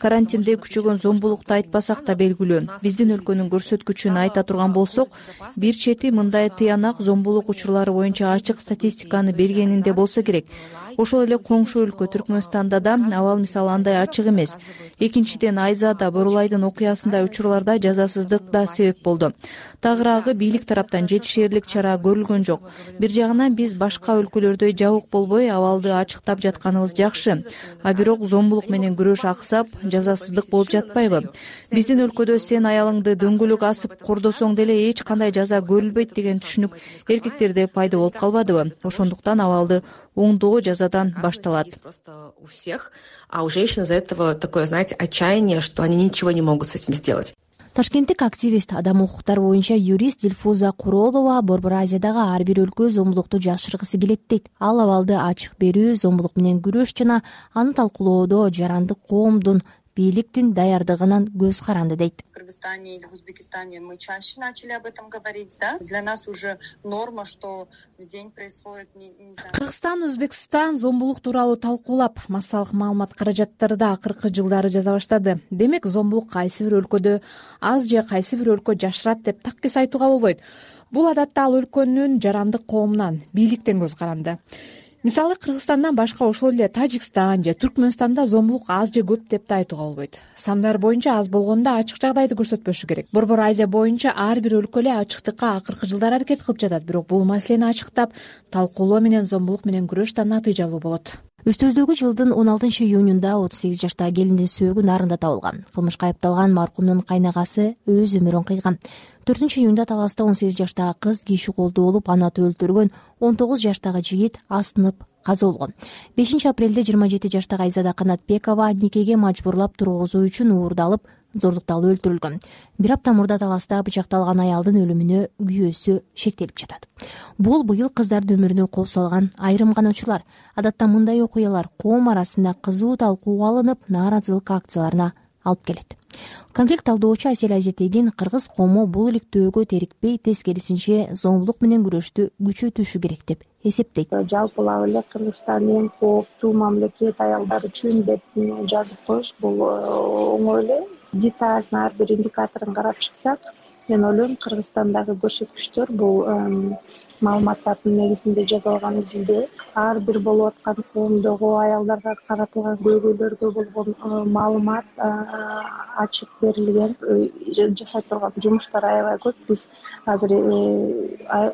Карантинде күчөгөн зомбулукту айтпасак да белгилүү. Биздин өлкөнүн көрсөткүчүн айта турган болсок, бир чети мындай тыянак зомбулук учурлары боюнча ачык статистиканы бергенинде болсо керек. Ошол эле коңшу өлкө Түркмөнстанда да абал мисалы андай ачык эмес. Экинчиден, Айзада, Борулайдын окуясындай учурларда жазасыздык да себеп болду. Тагыраагы бийлик тараптан жетишээрлик чара көрүлгөн жок. Бир жагынан биз башка өлкөлөрдөй жабык болбой абалды ачыктап жатканыбыз жакшы. А бирок зомбулук менен күрөш аксап, жазасыздык болуп жатпайбы? Биздин өлкөдө сен аялыңды дөңгөлөк асып кордосоң деле эч кандай жаза көрүлбөйт деген түшүнүк эркектерде пайда болуп калбадыбы? Ошондуктан абалды оңдоо жазадан башталат. У всех, а у женщин из-за этого такое, знаете, отчаяние, что они ничего не могут с этим сделать. Ташкенттик активист, адам укуктары боюнча юрист Дилфуза Куролова Борбор Азиядагы ар бир өлкө зомбулукту жашыргысы келет дейт. Ал абалды ачык берүү, зомбулук менен күрөш жана аны талкуулоодо жарандык коомдун бийликтин даярдыгынан көз каранды дейт. В Кыргызстане или в Узбекистане мы чаще начали об этом говорить, да? Для нас уже норма, что в день происходит, не, не знаю. Кыргызстан, Өзбекстан зомбулук тууралуу талкуулап, массалык маалымат каражаттарды акыркы жылдары жаза баштады. Демек, зомбулук кайсы бир өлкөдө аз же кайсы бир өлкө жашырат деп таккес айтууга болбойт. Бул адатта ал өлкөнүн жарандык коомунан, бийликтен көз каранды. Мисалы, Кыргызстандан башка ошол эле Тажикстан же Түркмөнстанда зомбулук аз же көп деп да айтууга болбойт. Сандар боюнча аз болгондо ачык жагдайды көрсөтпөшү керек. Борбор Азия боюнча ар бир өлкө эле ачыктыкка акыркы жылдары аракет кылып жатат, бирок бул маселени ачыктап, талкуулоо менен зомбулук менен күрөш да натыйжалуу болот. Үстүбүздөгү жылдын он алтынчы июнунда отуз сегиз жаштагы келиндин сөөгү нарында табылган. Кылмышка айыпталган маркумдун кайнагасы өз өмүрүн кыйган. төртүнчү июнда Таласта он сегиз жаштагы кыз киши колдуу болуп, аны атып өлтүргөн. он тогуз жаштагы жигит асынып каза болгон. бешинчи апрелде жыйырма жети жаштагы Айзада Канатбекова никеге мажбурлап тургузуу үчүн уурдалып, зордукталып өлтүрүлгөн. Бир апта мурда Таласта бычакталган аялдын өлүмүнө күйөөсү шектелип жатат. Бул быйыл кыздардын өмүрүнө кооп салган айрым гана учурлар. Адатта мындай окуялар коом арасында кызуу талкууга алынып, нааразылык акцияларына алып келет. Конфликт талдоочу Асель Азетегин кыргыз коому бул иликтөөгө терикпей, тескерисинче зомбулук менен күрөштү күчөтүшү керек деп эсептейт. Жалпылап эле Кыргызстан эң кооптуу мамлекет аялдар үчүн деп жазып коюш бул оңой эле. Детально ар бир индикаторун карап чыксак, мен ойлойм Кыргызстандагы көрсөткүчтөр бул маалыматтардын негизинде жасалган изилдөө, ар бир болуп аткан коомдогу аялдарга каратылган көйгөйлөргө болгон маалымат ачык берилген, жасай турган жумуштар аябай көп. Биз азыр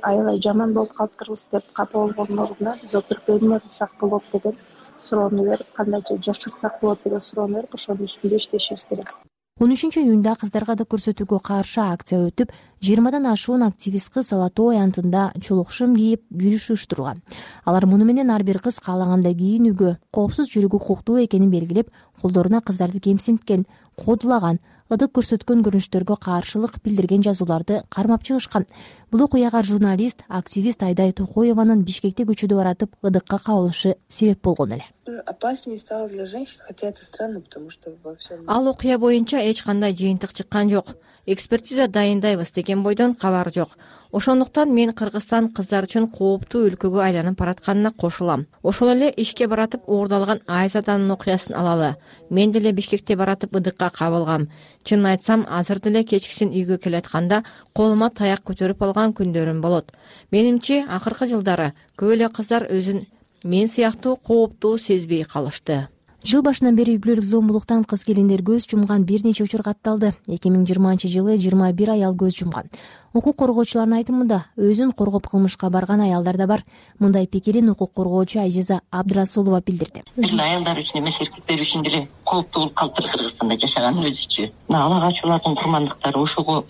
аябай жаман болуп калыптырбыз деп капа болгондун ордуна биз отуруп эмне кылсак болот деген суроону берип, кандайча жашыртсак болот деген суроону берип, ошонун үстүндө иштешибиз керек. он үчүнчү июнда кыздарга да көрсөтүүгө каршы акция өтүп, жыйырмадан ашуун активист кыз Алатоо аянтында чулукшум кийип жүрүш уюштурган. Алар муну менен ар бир кыз каалагандай кийинүүгө, коопсуз жүрүүгө укуктуу экенин белгилеп, колдоруна кыздарды кемсинткен, кодулаган, ыдык көрсөткөн көрүнүштөргө каршылык билдирген жазууларды кармап чыгышкан. Бул окуяга журналист, активист Айдай Токоеванын Бишкекте көчөдө баратып ыдыкка кабылышы себеп болгон эле. Опаснее стало для женщин, хотя это странно, потому что во всем... Ал окуя боюнча эч кандай жыйынтык чыккан жок. Экспертиза дайындайбыз деген бойдон кабар жок. Ошондуктан мен Кыргызстан кыздар үчүн кооптуу өлкөгө айланып баратканына кошулам. Ошол эле ишке баратып уурдалган Айзаданын окуясын алалы. Мен деле Бишкекте баратып ыдыкка кабылгам. Чынын айтсам, азыр деле кечкисин үйгө келатканда колума таяк көтөрүп алган күндөрүм болот. Менимче, акыркы жылдары көп эле кыздар өзүн мен сыяктуу кооптуу сезбей калышты. Жыл башынан бери үй бүлөлүк зомбулуктан кыз келиндер көз жумган бир нече учур катталды. эки миң жыйырманчы жылы жыйырма бир аял көз жумган. Укук коргоочулардын айтымында өзүн коргоп кылмышка барган аялдар да бар. Мындай пикирин укук коргоочу Азиза Абдрасулова билдирди. Бир аялдар үчүн эмес, эркектер үчүн деле кооптуу болуп калыптыр Кыргызстанда жашаган өзүчө. Ала качуулардын курмандыктары ошого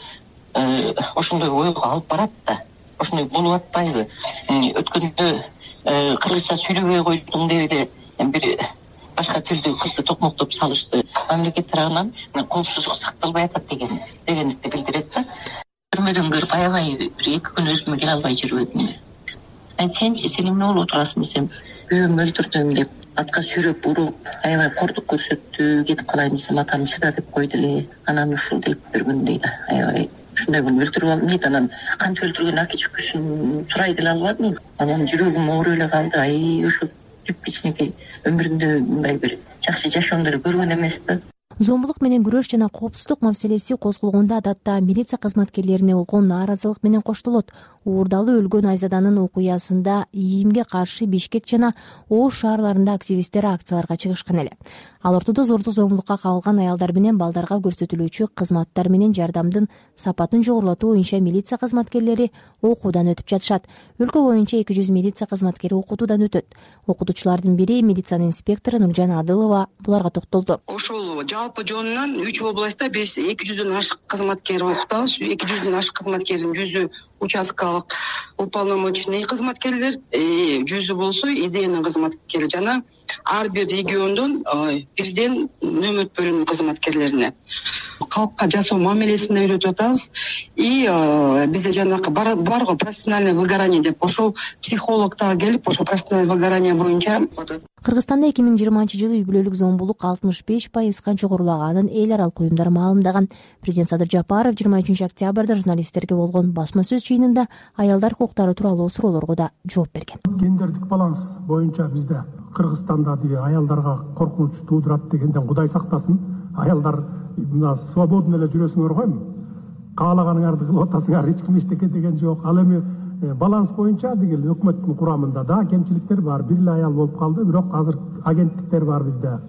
ошондой ойго алып барат да. Ошондой болуп атпайбы? Өткөндө кыргызча сүйлөбөй койдуң деп эле бир башка тилдүү кызды токмоктоп салышты. Мамлекет тарабынан коопсуздук сакталбай атат деген дегенди билдирет да. Түрмөдөн көрүп аябай бир эки күн өзүмө келе албай жүрүп атым. Сенчи, сен эмне болуп отурасың десем, күйөөмдү өлтүрдүм деп атка сүйрөп уруп, аябай кордук көрсөттү, кетип калайын десем атам чыда деп койду эле. Анан ушул дейт бир күн дейт. Аябай ушундай күн өлтүрүп алдым дейт. Анан канча өлтүргөн аки чүкүсүн сурай деле албадым. Анан жүрөгүм ооруп эле калды. Ай, ушул түп кичинекей өмүрүндө мындай бир жакшы жашоондору көргөн эмес да. Зомбулук менен күрөш жана коопсуздук маселеси козголгондо адатта милиция кызматкерлерине болгон нааразылык менен коштолот. Уурдалып өлгөн Айзаданын окуясында ийимге каршы Бишкек жана Ош шаарларында активисттер акцияларга чыгышкан эле. Ал ортодо зордук зомбулукка кабылган аялдар менен балдарга көрсөтүлүүчү кызматтар менен жардамдын сапатын жогорулатуу боюнча милиция кызматкерлери окуудан өтүп жатышат. Өлкө боюнча эки жүз милиция кызматкери окутуудан өтөт. Окутуучулардын бири милициянын инспектору Нуржан Адылова буларга токтолду. Ошол жалпы жонунан үч областта биз эки жүздөн ашык кызматкер окутабыз. эки жүздөн ашык кызматкердин жүзү участкалык уполномоченный кызматкерлер, жүзү болсо идеянын кызматкери жана ар бир региондон бирден нөмөт бөлүмүнүн кызматкерлерине калкка жашоо мамилесин үйрөтүп атабыз. И бизде жанакы барго профессиональное выгорание деп ошол психологдор келип, ошол профессиональное выгорание боюнча окутат. Кыргызстанда эки миң жыйырманчы жылы үй бүлөлүк зомбулук алтымыш беш пайызга жогорулаганын эл аралык уюмдар маалымдаган. Президент Садыр Жапаров жыйырма үчүнчү октябрда журналисттерге болгон басма сөз жыйынында аялдар укуктары тууралуу суроолорго да жооп берген. Гендердик баланс боюнча бизде Кыргызстанда деги аялдарга коркунуч туудурат дегенден Кудай сактасын. Аялдар мына свободно эле жүрөсүңөр койм. Каалаганыңарды кылып атасыңар, эч ким эчтеке деген жок. Ал эми баланс боюнча деги өкмөттүн курамында да кемчиликтер бар. Бир эле аял болуп калды, бирок азыр агенттиктер бар бизде.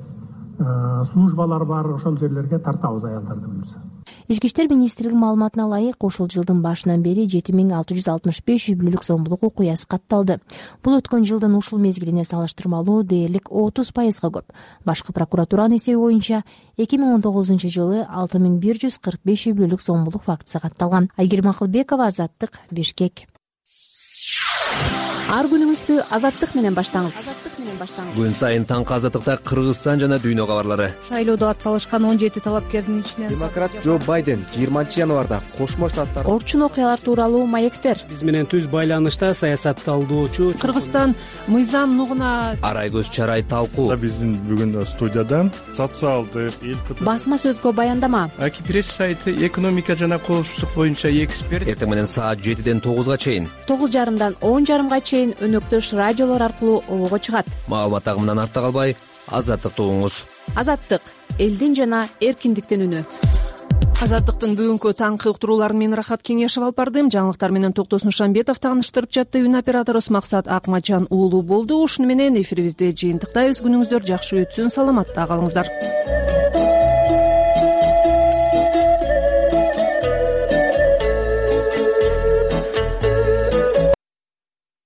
Службалар бар, ошол жерлерге тартабыз аялдарды буюрса. ички иштер министрлигинин маалыматына ылайык ушул жылдын башынан бери жети миң алты жүз алтымыш беш үй бүлөлүк зомбулук окуясы катталды. Бул өткөн жылдын ушул мезгилине салыштырмалуу дээрлик отуз пайызга көп. Башкы прокуратуранын эсеби боюнча эки миң он тогузунчу жылы алты миң бир жүз кырк беш үй бүлөлүк зомбулук фактысы катталган. Айгерим Акылбекова, Азаттык, Бишкек. Ар күнүңүздү Азаттык менен баштаңыз. Күн сайын таңкы Азаттыкта Кыргызстан жана дүйнө кабарлары. Шайлоодо ат салышкан он жети талапкердин ичинен демократ Джо Байден жыйырманчы январда Кошмо Штаттар орчун окуялар тууралуу маектер. Биз менен түз байланышта саясат талдоочу Кыргызстан мыйзам нугуна Арай-көз чарай талкуу. Биздин бүгүн студияда социалдык эл басма сөзгө баяндама. Аки пресс сайты экономика жана коопсуздук боюнча эксперт. Эртең менен саат жетиден тогузга чейин, тогуз жарымдан он жарымга чейин өнөктөш радиолор аркылуу обого чыгат. Маалымат агымынан артта калбай, Азаттыкты угуңуз. Азаттык — элдин жана эркиндиктин үнү. Азаттыктын бүгүнкү таңкы уктурууларын мен Рахат Кеңешев алып бардым. Жаңылыктар менен Токтосун Шамбетов тааныштырып жатты. Үн операторубуз Максат Акматжан уулу болду. Ушуну менен эфирибизди жыйынтыктайбыз. Күнүңүздөр жакшы өтсүн, саламатта калыңыздар.